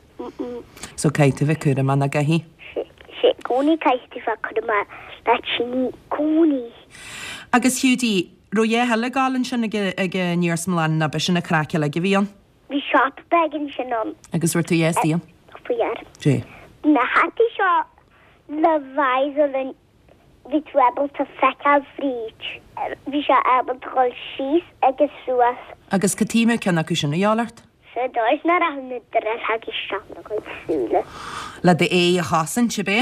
So caithfidh tú bheith cúramach nach gcaithfidh? Sé, sé, gcónaí caithfidh tú bheith cúramach le tine, gcónaí. Agus Hiúdaí, raibh a dhath eile ag gabháil ansin ag ag an iarsmalann nó b'shin an craic uilig a bhí ann? Bhí siopa beag ansin ann. Agus raibh tú istigh ann? Fuair. Dé. Na hataí seo Le visor an bhí tú ábalta feiceáil fríd. Bhí sé ábalta dul síos agus suas. Agus cad chuige a mbeadh ceann acu sin a dhíobháil ort? Sa dóigh is nach raibh na drithleogaí isteach ina gcuid súile. Le d'aghaidh a chosaint, ab é?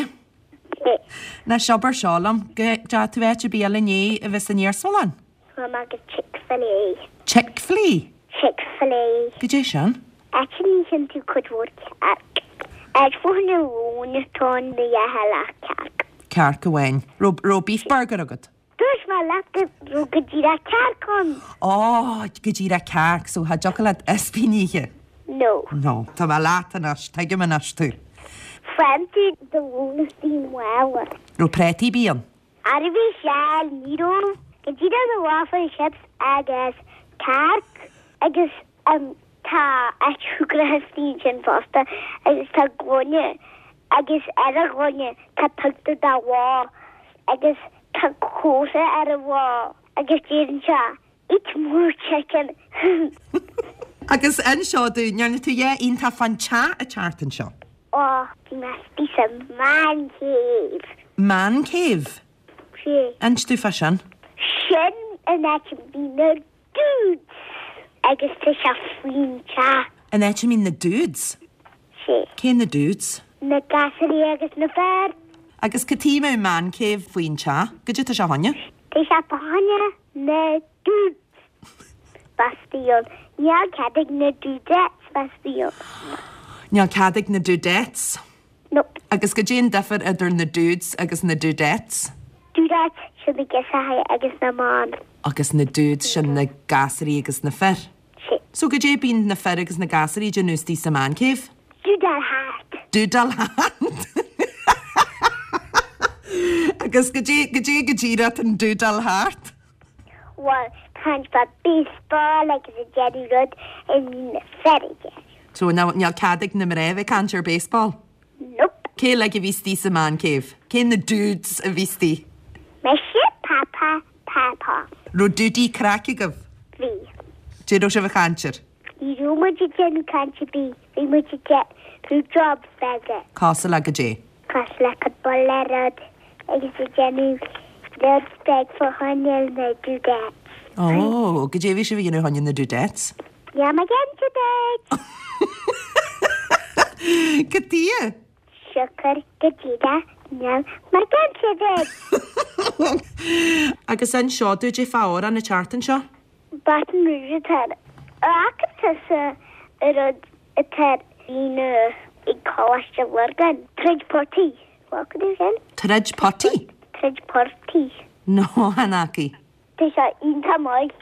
Sea. Anois abair seo liom, go dteachaigh tú áit ar bith eile inné a bheith san iarsmalann? Chuaigh mé go Chick-fil-A. Chick-fil-A? Chick-fil-A. Goidé sin? Áit a n-itheann tú cuid mhór cearc. Áit fá choinne lóin atá ann a itheann ach cearc. Cearc amháin. Raibh raibh beef burger agat? Dúirt mé leat go raibh go díreach cearc ann. Ó, go díreach cearc, so cha dtiocfadh leat ispín a ithe? No. No. Tá mé leat anois, tuigim anois tú. Faigheann tú do lón istigh i mála. Raibh prátaí ar bith ann? Ara bhí seal, ní raibh. Go díreach na waffle chips agus cearc agus um, tá áit shúgartha istigh ansin fosta agus tá gloine agus ar an ghloine tá pictiúr de bhó agus tá cóta ar an bhó agus deireann sé eat more chicken. Agus inis dúinn, ndearna tú a dhath iontach fán teach an tseachtain seo? Ó, bhí mé istigh sa man cave. Man cave? Sea. Inis dúinn fá sin. Sin an áit a mbíonn na dudes agus tá sé faoin teach. An áit a mbíonn na dudes? Sea. Cé na dudes? Na gasúirí agus na fir. Agus cad chuige a mbeadh man cave faoin teach? Goidé tá sé fá choinne? Tá sé fá choinne na dudes bheith istigh ann. Níl cead ag na dudettes bheith istigh ann. Níl cead ag na dudettes? Nope. Agus goidé an difear idir na dudes agus na dudettes? Dudettes sin na girseachaí agus na mban. Agus na dudes sin na gasúirí agus na fir? Sea. So goidé bíonn na fir agus na gasúirí ag déanamh istigh sa man cave? Dúdáil thart. Dúdáil thart. Agus goidé goidé go díreach an dúdáil thart? Bhuel, caint fá baseball agus ag déanamh rud a mbíonn na fir ag déanamh. So níl cead ag na mná bheith ag caint ar baseball? Nope. Cé uilig a bhí istigh sa man cave? Cé na dudes a bhí istigh? Mise, Papa, Papa. Raibh dudaí craic agaibh? Bhí. Goidé raibh sibh ag caint air? Ní raibh muid ag déanamh caint ar bith, bhí muid ag déanamh jobs beaga. Cosúil le goidé? Cosúil le cupla rud agus ag déanamh rud beag fá choinne na dudettes. Ó, goidé bhí sibh ag déanamh fá choinne na dudettes? Níl mé ag inse duit! Cad chuige? Siocair go díreach níl mé ag inse duit! Agus inis dúinn goidé fá amhrán an tseachtain seo? Baton Rouge atá air. An bhfaca tusa an rud atá ar líne ag Coláiste Lurgan? Troid portaí. Bhfaca tú sin? Troid potaí? Troid portaí. No, chan fhaca. Tá sé iontach maith.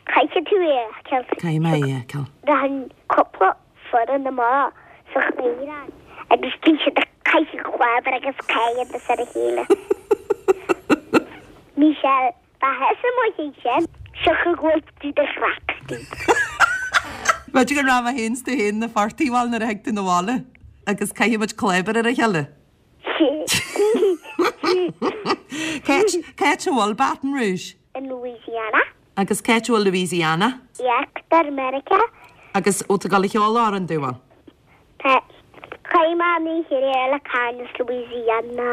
Caithfidh tú é a fheiceáil. Caithfidh mé é a fheiceáil. Rachann cúpla foireann amach sa chraobh agus bíonn siad ag caitheamh clábar agus caidéal ar a chéile. Michelle, Ba thusa maith ag sin, siocair go bhfuil tú do chraic istigh. B'fhéidir go raibh mé féin 's tú féin na phortaigh bhal nuair a thig tú 'na bhaile agus caithfidh muid clábar ar a chéile. Cá háit a bhfuil Baton Rouge? In Louisiana. Agus cá háit a bhfuil Louisiana? Íochtar Meiriceá. Agus bhfuil tú ag dul a cheol amhrán dúinn? Tá. Chuaigh mé an oíche aréir le cara as Louisiana.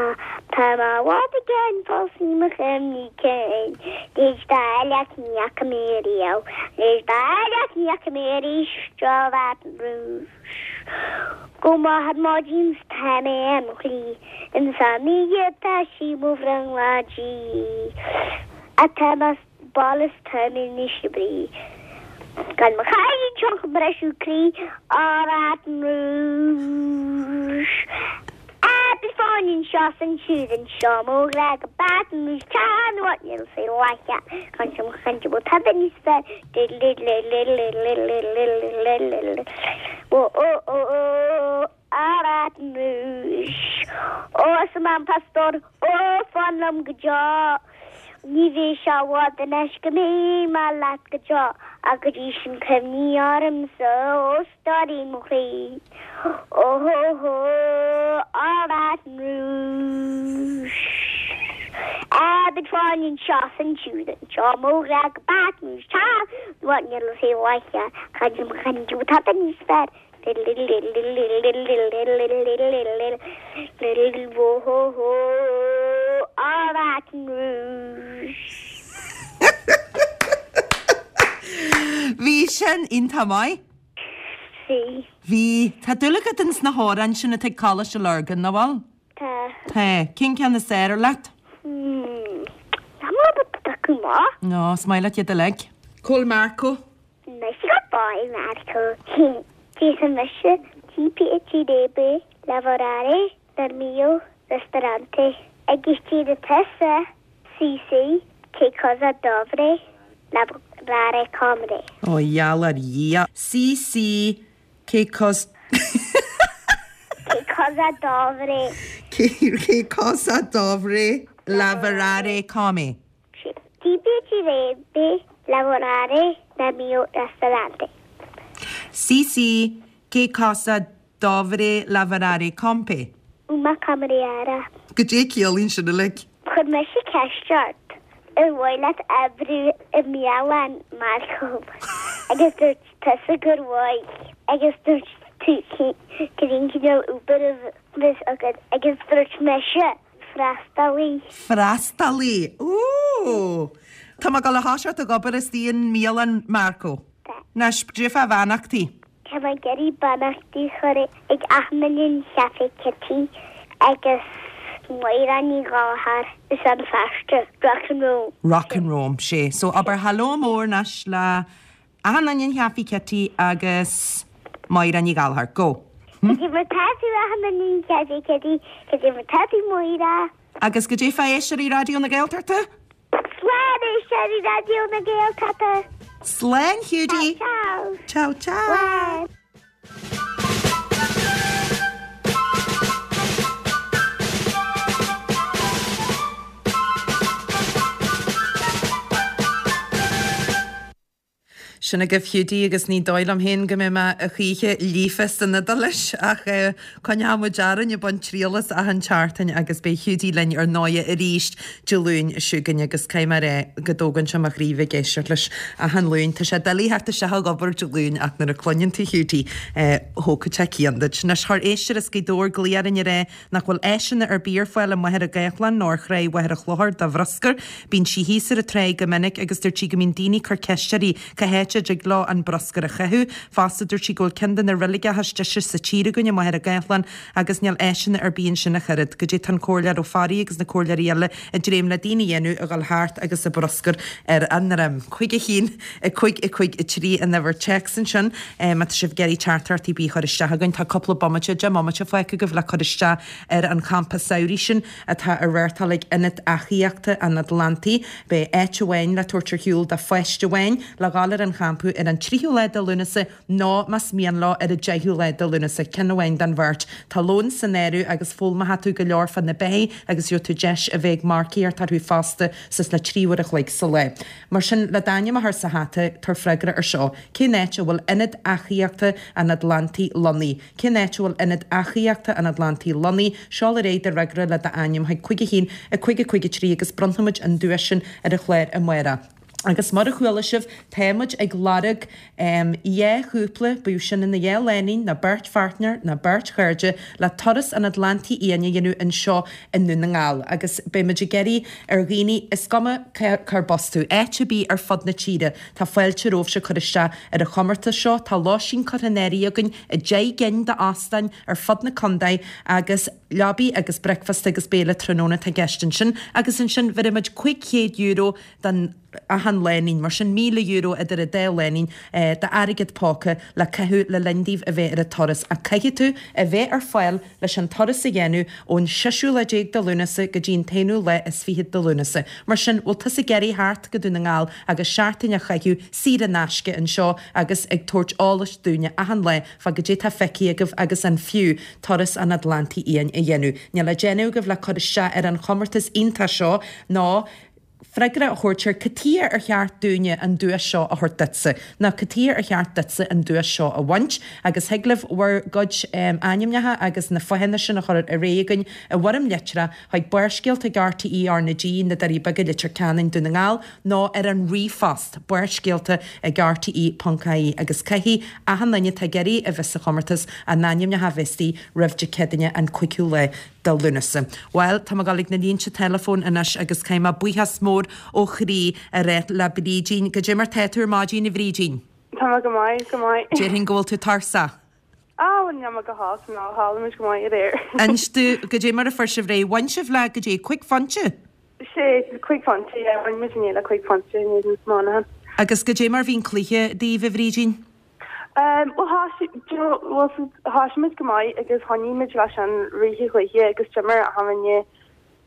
Tá mé i bhfad i gcéin fós i mo chuimhní cinn. D'éist dá leath ní fhaca mé riamh. D'éist dá leath ní fhaca mé arís seo Baton Rouge. Go moch ar maidin 's tá mé ar mo shlí. Ins an oíche tá sí mo bhrionglóidí. Tá mé sa bhaile 's tá mé in ísle brí. Gan mo chailín seo ag briseadh croí Ó Baton Rouge. Beidh fáinne anseo 's ansiúd anseo mo ghrá go Baton Rouge tá nó níl sé láiche Chan sem chan sem tada níos fearr Ó ó ó ó Ó Baton Rouge. Ó arsa Mam Pastor ó fan liom go deo. Ní bheidh sé i bhfad anois go mbeidh mé leat go deo, ach go dtí sin cuimhnigh ormsa, ó stóirín mo chroí. Ó hó hó, Ó Baton Rouge. Á, beidh fáinne anseo 's ansiúd anseo, mo ghrá go Baton Rouge, tá, nó níl a saol láiche, chan mo chan tada níos fearr. Little little little little little little little little little little little whoa ho ho all Baton Rouge. Bhí sin iontach maith? Bhí. Bhí. Tá dúil agat ins na hamhráin sin atá ag Coláiste Lurgan, nach bhfuil? Tá. Tá. Cén ceann is fearr leat? Hmm. Tá mé ábalta piocadh amach. No, is maith leat iad uilig. Cá bhfuil Marco? Mise go báid Marco. Tíos mise Ti piacerebbe lavorare nel mio ristorante. Agus deireann tusa sì sì che cosa dovrei lavorare come. Ó gheall ar Dhia. Sì sì che cos Che cosa dovrei Che che cosa dovrei lavorare come. Ti piacerebbe lavorare nel mio ristorante. Sì sì che cosa dovrei lavorare come. Una cameriera. Goidé ciallaíonn sin uilig? Chuir mise ceist ort ar mhaith leat oibriú i mbialann Marco agus dúirt tusa gur mhaith agus dúirt tú cén cineál obair a bheas agat agus dúirt mise freastalaí. Freastalaí! Ooh! Tá mé ag dul a thoiseacht ag obair istigh i mbialann Marco. Tá. Anois, goidé fá bheannachtaí? Tá mé ag iarraidh beannachtaí a chur ag achan duine in Café Kitty agus Máire Ní Ghallchóir i Rann na Feirste, Rock and Roam. Rock and Roam, sé. So abair hello mór anois le achan duine in Café Kitty agus Máire Ní Ghallchóir. Go. Cad é mar tá tú achan duine in Café Kitty, cad é mar tá tú Máire. Agus goidé fá éisteoirí Raidió na Gaeltachta? Slán éisteoirí Raidió na Gaeltachta! Slán Hiúdaí! Ciao! Ciao ciao! Slán! Sin agaibh Hiúdaí agus ní dóigh liom féin go mbeidh mé a choíche líofa san Iodáilis ach coinneoidh muid orainn ag baint triail as achan tseachtain agus beidh Hiúdaí linn ar ndóighe arís Dé Luain seo chugainn agus caithfidh mé a rá go dtógann sé mo chroí bheith ag éisteacht leis achan Luan. Tá sé doiligh theacht isteach ag obair Dé Luain ach nuair a chluineann tú Hiúdaí thógfadh sé cian duit. Anois chuir éisteoir as Gaoth Dobhair glaoch orainn a rá nach bhfuil áiseanna ar bith ar fáil i Machaire Gathlán nó ar Thráigh Mhachaire Chlochair do bhruscar. Bíonn sí thíos ar an tráigh go minic agus dúirt sí go mbíonn daoine ag cur ceist uirthi cá háit a dtig leo an bruscar a chaitheamh. Fosta dúirt sí go bhfuil ceann de na reiligeacha is deise sa tír againn i Machaire Gathlán agus níl áiseanna ar bith ansin ach oiread. Goidé tá an Comhairleoir Ó Fearraigh agus na comhairleoirí eile ag dréim le daoine a dhéanamh a dhul thart agus a bruscar ar a ndroim. Cúig a haon, a cúig, a cúig, a trí an uimhir téacs ansin. Má tá sibh ag iarraidh teachtaireacht ar bith a chur isteach againn tá cúpla bomaite, deich mbomaite fágtha agaibh le cur isteach ar an champa samhraidh sin atá á reáchtáil ag Ionad Eachaíochta an Atlantaigh. Beidh áit amháin le tabhairt ar shiúl do pháiste amháin le dhul ar an champa ar an tríú lá de Lúnasa nó más mian leo ar an deichiú lá de Lúnasa, ceann amháin den bheirt. Tá lón san áireamh agus foghlaimeoidh tú go leor fá na beithígh agus gheobhaidh tú deis a bheith ag marcaíocht orthu fosta suas le trí uair a chloig sa lá. Mar sin, le d'ainm a chur sa hata, tabhair freagra ar seo, Cén áit a bhfuil Ionad Eachaíochta an Atlantaigh lonnaithe? Cén áit a bhfuil Ionad Eachaíochta an Atlantaigh lonnaithe? Seol ar aghaidh do fhreagra le d'ainm chuig cúig a haon, a cúig a cúig a trí agus bronnfaimid an duais sin ar an chlár amárach. Agus mar a chuala sibh, tá muid ag lorg dhá chúpla, bíodh sin ina dhá lánúin, nó beirt pháirtnéir, nó beirt chairde, le turas an Atlantaigh Fhiáin a dhéanamh anseo i nDún na nGall. Agus beidh muid ag iarraidh ar dhaoine, is cuma cárb as tú, áit ar bith ar fud na tíre, tá fáilte romhaibhse cur isteach ar an chomórtas seo. Tá lóistín curtha in áirithe againn i deich gcinn d'óstáin ar fud na contae agus leabaí agus bricfeasta agus béile tráthnóna atá i gceist ansin. Agus ansin bheirfidh muid cúig chéad euro don achan lánúin, mar sin míle euro idir an dá lánúin d'airgead póca le caitheamh le linn daoibh a bheith ar an turas. Ach caithfidh tú a bheith ar fáil leis an turas a dhéanamh ón seisiú lá déag de Lúnasa go dtí an t-aonú lá is fichead de Lúnasa. Mar sin, bhfuil tusa ag iarraidh theacht go Dún na nGall agus seachtain a chaitheamh saor in aisce anseo agus ag tabhairt eolais dúinne achan lá fá goidé tá feicthe agaibh agus an fiú turas an Atlantaigh Fhiáin a dhéanamh. Níl le déanamh agaibh le cur isteach ar an chomórtas iontach seo ná freagra a thabhairt ar cad chuige ar cheart dúinne an duais seo a thabhairt duitse, nó cad chuige ar cheart duitse an duais seo a bhaint, agus thig libh bhur gcuid ainmneacha agus na fáthanna sin a chur ar aghaidh chugainn i bhfoirm litreach chuig Barrscéalta ag RTÉ R na G, Na Doirí Beaga, Leitir Ceanainn, Dún na nGall, nó ar an ríomhphost, Barrscéalta ag RTÉ ponc ie, agus caithfidh achan duine atá ag iarraidh a bheith sa chomórtas a n-ainmneacha a bheith istigh roimh Dé Céadaoine an cúigiú lá de Lúnasa. Bhuel, tá mé ag dul ag na línte teileafóin anois agus caithfidh mé buíochas mór ó chroí a rá le Brídín. Goidé mar tá tú ar maidin, a Bhrídín? Tá mé go maith, go maith. Déarfainn go bhfuil tú tuirseach. Á, bhuel, níl mé go holc, ná tharla muid go maith aréir. Inis domh, goidé mar a fuair sibh réidh? Bhain sibh le goidé, cúig phointe? Sé, cúig phointe, yeah, bhain muid inné le cúig phointe in éadan Monaghan. Agus goidé mar bhí an cluiche daoibh, a Bhrídín? Bhuel, thoisigh, do you know, bhuel, thoisigh muid go maith agus choinnigh muid leis an rith an chluiche agus d'imir achan duine,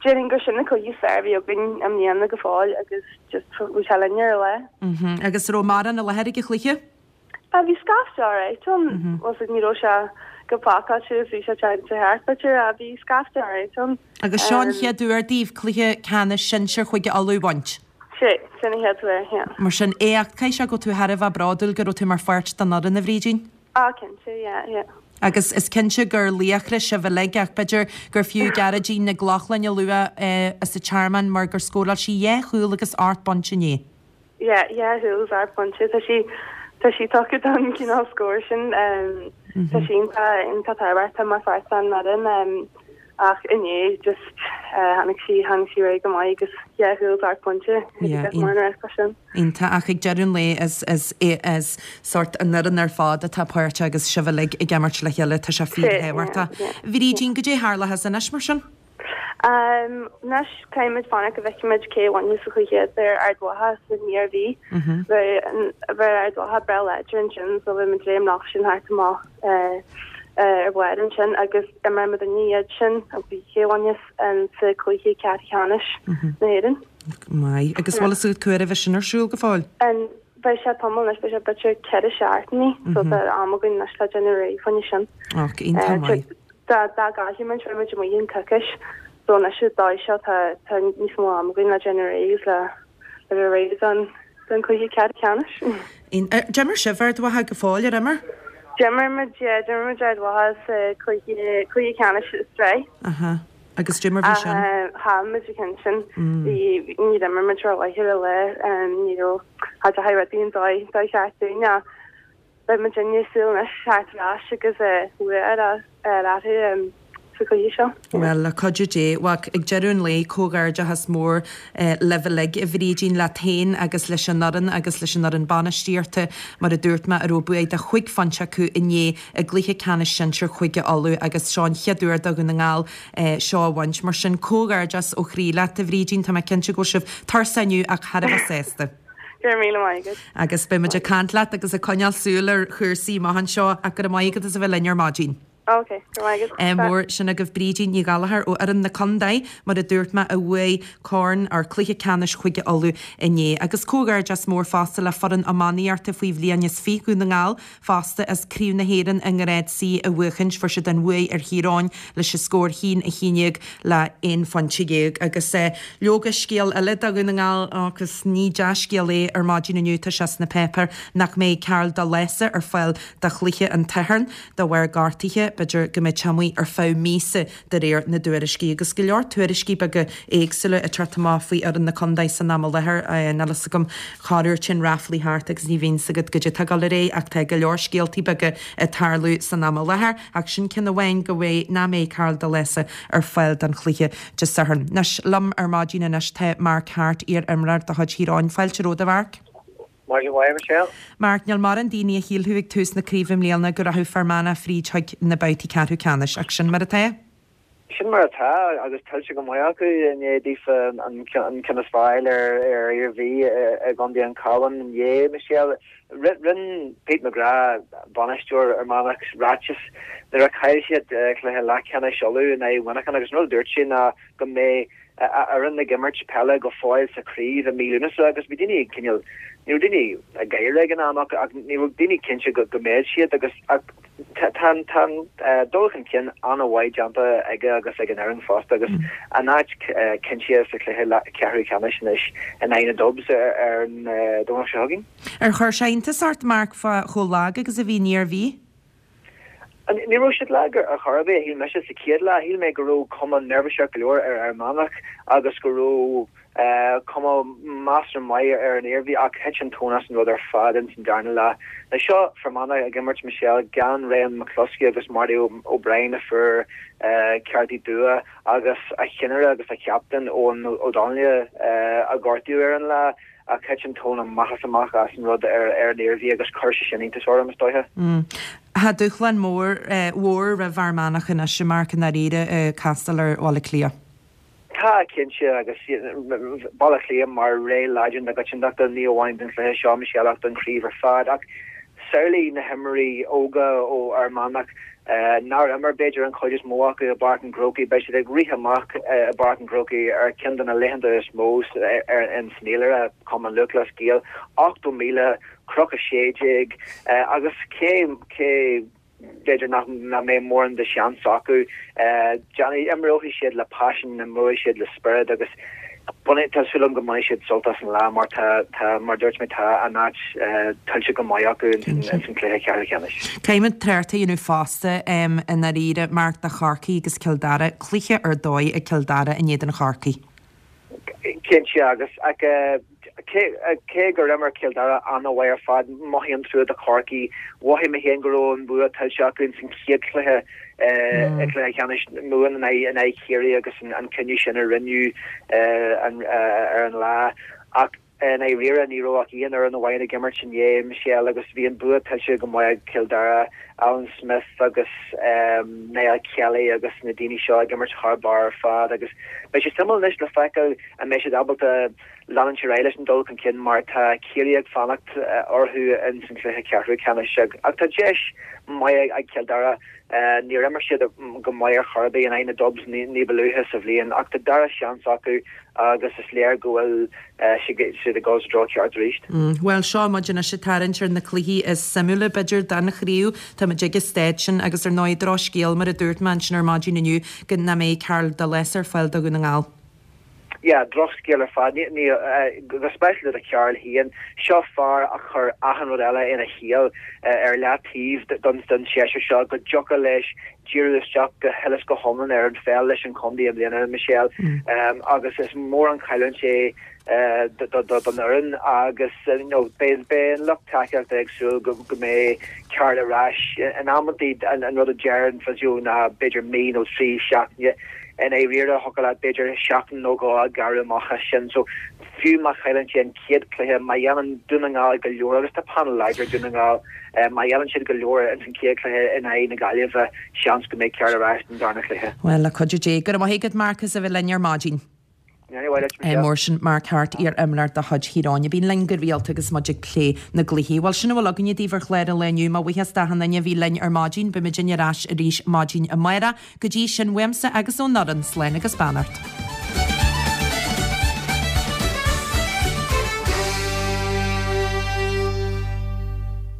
déarfainn gur sin an cluiche is fearr a bhí againn i mbliana go fóill agus just bhí sé linn ar an lá. Mhm, agus raibh mórán i láthair ag an chluiche? Ah, bhí scaifte alright ann, bhuel, ní raibh sé go pacáilte is bhí sé teannta thart, b'fhéidir, ah, bhí scaifte alright ann. Agus seo an chéad uair daoibh cluiche ceannais sinsir Chúige Uladh a bhaint? Sé, sin an chéad uair, yeah. Mar sin, éacht, caithfidh sé go bhfuil tú thar a bheith bródúil go raibh tú mar pháirt den fhoireann, a Bhrídín? Ah, cinnte, yeah, yeah. Agus is cinnte gur laochra sibh uilig ach b'fhéidir gur fiú Gearóidín Nic Lochlainn a lua as an Tearmann mar gur scóráil sí dhá chúl agus ocht bpointe inné. Yeah, dhá chúl agus ocht bpointe. Tá sí, tá sí tugtha don chineál scór sin. Tá sí iontach, iontach tábhachtach mar pháirt den fhoireann. Ach inné just tháinig sí, tháinig sí réidh go maith agus dhá chúl is ocht bpointe Yeah, agus mar an rest sin. Iontach ach ag deireadh an lae is, is, is sórt an fhoireann ar fad atá páirteach agus sibh uilig ag imirt le chéile, tá sé fíorthábhachtach. Yeah, yeah. Bhrídín, goidé tharlóchas anois mar sin? Anois caithfidh muid fanacht go bhfeicfidh muid cé a bhainfeas an cluiche idir Ard Mhacha is an Iarmhí. Bheadh bheadh Ard Mhacha breá láidir ansin so bheidh muid léim leofa sin thart amach ar bharr ansin agus imreoidh muidinne iad sin agus cé a bhainfeas sa cluiche ceathrú ceannais na hÉireann. Maith. Agus bhfuil fhios agat cá huair a bheidh sin ar siúl go fóill? An beidh sé tamall anois, beidh sé b'fhéidir ceithre seachtainí so tá am againn anois le déanamh réidh fá choinne sin. Och, iontach maith. Dá dá gcaillfidh muid beidh muid amuigh in coicís so anois an dóigh seo tá tá níos mó am againn le déanamh réidh agus le le bheith réidh don don cluiche ceathrú ceannais. D'imir sibh Ard Mhacha go fóill, ar imir? D'imir muid, yeah, d'imir muid Ard Mhacha sa cluiche cluiche ceannais sa tsraith. Aha. Agus goidé mar bhí sin? Chaill muid an ceann sin. Bhí ní d'imir muid rómhaith ar an lá, ní raibh cha deachaigh rudaí an dóigh dóigh cheart dúinn ach beidh muidinne ag súil anois theacht ar ais agus bua a fháil orthu sa chluiche seo. Bhuel, le cuidiú Dé, bhuel, ag deireadh an lae, comhghairdeachas mór libh uilig, a Bhrídín, leat féin agus leis an fhoireann agus leis an fhoireann bainistíochta, mar a dúirt mé, a raibh bua de chúig phointe acu inné i gcluiche ceannais sinsir Chúige Uladh agus seo an chéad uair do Dhún na nGall seo a bhaint. Mar sin, comhghairdeas ó chroí leat, a Bhrídín, tá mé cinnte go bhfuil sibh tuirseach inniu ach thar a bheith sásta. Go raibh míle maith agat. Agus beidh muid ag caint leat agus ag coinneáil súil ar chúrsaí amach anseo ach go raibh maith agat as a bheith linn ar maidin. Ok, go raibh maith agat. Mór sin agaibh Brídín Ní Ghallchóir ó fhoireann na contae, mar a dúirt mé, a bhuaigh corn or cluiche ceannais Chúige Uladh inné. Agus comhghairdeas mór fosta le foireann iománaíochta faoi bhliain is fiche Dhún na nGall fosta as Craobh na hÉireann i nGrád C a bhuachaint. Fuair siad an bhuaidh ar Thír Eoghain leis an scór haon a haon déag le aon phointe dhéag. Agus leoga scéal eile do Dhún na nGall agus ní dea-scéal é ar maidin inniu, tá sé sna páipéir nach mbeidh Karl de Lása ar fáil do chluiche an tSathairn. De bharr gortaithe, b'fhéidir go mbeidh sé amuigh ar feadh míosa de réir na dtuairiscí. Agus go leor tuairiscí beaga éagsúla ag teacht amach faoi fhoireann na contae san am i láthair. Níl fhios agam, corruair téann ráflaí thart agus ní bhíonn 's agat goidé atá ag dul ar aghaidh ach tá go leor scéaltaí beaga ag tarlú san am i láthair. Ach sin ceann amháin go mbeidh, nach mbeidh Karl de Lása ar fáil don chluiche Dé Sathairn. Anois, liom ar maidin anois tá Mark Harte, iar-imreoir de chuid Thír Eoghain. Fáilte romhat, a Mharc. Maidin mhaith, Michelle. Mark, níl mórán daoine a shílfeadh ag tús na craoibhe i mbliana go rachadh Fear Manach fríd chuig na babhtaí ceathrú ceannais, ach sin mar atá. Sin mar atá, agus tuillte go maith acu i ndiaidh daofa an ceann is fearr a fháil ar Iarmhí i gcontae an Chabháin inné, Michelle. Rinne Pete McGrath, bainisteoir Fhear Manach, ráiteas nuair a chaill siad cluiche leathcheannais Uladh in aghaidh Mhuineacháin agus an rud a dúirt sé ná go mbeidh a fhoireann ag imirt peile go fóill sa chraobh i mí Lúnasa agus bhí daoine cineál, ní raibh daoine ag gáire ag an am ach ní raibh daoine cinnte go mbeadh siad agus tá an dul chun cinn an-mhaith déanta aige agus ag an fhoireann fosta agus a n-áit cinnte sa chluiche ceathrú ceannais anois in aghaidh na Dubs ar an Domhnach seo chugainn. Ar chuir sé iontas ort, Mark, fá chomh lag agus a bhí an Iarmhí? Ní raibh siad lag ar chor ar bith, shíl mise sa chéad leath. Shíl mé go raibh cuma neirbhíseach go leor ar Fhear Manach agus go raibh cuma measartha maith ar an Iarmhí ach thit an tóin as an rud ar fad ins an darna leath. Now seo Fear Manach ag imirt, Michelle, gan Ryan McCluskey agus Marty O'Brien a fuair cártaí dubha agus a cheannaire agus a chaptaen Eoghan O'Donnell a gortaíodh ar an lá. Ach thit an tóin amach is amach as an rud ar an Iarmhí agus chuir sé sin iontas orm, is dóiche. Tá dúshlán mór mhór roimh Fhear Manach anois, a Mark, i ndáiríre, ag castáil ar Bhaile Átha Cliath. Tá, cinnte, agus Baile Átha Cliath mar rogha láidir na coitiantachta, ní amháin don chluiche seo, Michelle, ach don chraobh ar fad. Ach samhlaigh na himreoirí óga ó Fhear Manach nár imir, b'fhéidir, an chuid is mó acu i bPáirc an Chrócaigh, beidh siad ag rith amach i bPáirc an Chrócaigh ar cheann de na laethanta is mó in san fhéilire, Cumann Lúthchleas Gael, ochtó míle, Cnoc a sé déag, agus cé cé b'fhéidir nach mbeidh mórán de sheans acu, déanfaidh, imreoidh siad le paisean, imreoidh siad le spiorad agus bainfidh, tá súil agam go mbainfidh siad sult as an lá mar tá, tá, mar dúirt mé, tá a n-áit tuillte go maith acu ins an cluiche ceathrú ceannais. Caithfidh muid trácht a dhéanamh fosta i ndáiríre, Mark, do Chorcaigh agus Cill Dara, cluiche ar dóigh ag Cill Dara in éadan Chorcaí. Cinnte, agus cé gur imir Cill Dara an-mhaith ar fad, mothaím trua do Chorcaigh. Mhothaigh mé féin go raibh an bua tuillte acu ins an chéad chluiche i gcluiche ceannais Mumhan in aghaidh Chiarraí agus an cinneadh sin a rinneadh ar an lá. Ach i ndáiríre ní raibh ach aon fhoireann amháin ag imirt inné, Michelle, agus bhí an bua tuillte go maith ag Cill Dara, Alan Smith agus Niall Kelly agus na daoine seo ag imirt thar barr ar fad agus beidh sé suimiúil anois le feiceáil an mbeidh siad ábalta leanúint ar aghaidh leis an dul chun cinn mar tá Ciarraí ag fanacht orthu ins an chluiche ceathrú ceannais ach tá deis maith ag Cill Dara. Níor imir siad go maith ar chor ar bith in aghaidh na Dubs ní ba luaithe sa bhliain ach tá dara seans acu agus is léir go bhfuil siad ag dul sa treo ceart arís. Bhuel, seo muid anois ag tarraingt ar na cluichí is suimiúla, b'fhéidir, den chraobh. Tá muid ag an staid sin agus ar ndóigh drochscéal, mar a dúirt mé ansin ar maidin inniu, go nach mbeidh Karl Delis ar fáil do Dhún na nGall. Yeah, drochscéal ar fad. Ní, go speisialta do Karl féin. Seo fear a chuir achan rud eile ina shaol ar leataobh don don séasúr seo, go dtiocfadh leis díriú isteach go huile is go hiomlán ar an pheil leis an chontae i mbliana, Michelle. Agus is mór an chailliúint é don fhoireann agus you know beidh beidh an lucht tacaíochta ag súil go go mbeidh Karl ar ais. In amantaí an rud a deir an physio ná b'fhéidir mí nó trí seachtaine. I ndáiríre, thiocfadh leat b'fhéidir seachtain nó dhó a ghearradh amach as sin. So, fiú má chailleann siad an chéad chluiche, má dhéanann Dún na nGall go leor, agus tá panel láidir ag Dún na nGall, má dhéanann siad go leor ins an chéad chluiche in aghaidh na Gaillimhe, seans go mbeidh Karl ar ais don darna chluiche. Bhuel, le cuidiú Dé. Go raibh maith agat, Mark, as a bheith linn ar maidin. Mar sin, Mark Harte, iar-imreoir de chuid Thír Eoghain, a bhíonn linn go rialta agus muid ag plé na gcluichí. Bhuel, sin a bhfuil againne daoibh ar chlár an lae inniu. Mo bhuíochas d'achan duine a bhí linn ar maidin. Beidh muidinne ar ais arís maidin amárach. Go dtí sin, uaimse agus ón fhoireann, slán agus beannacht.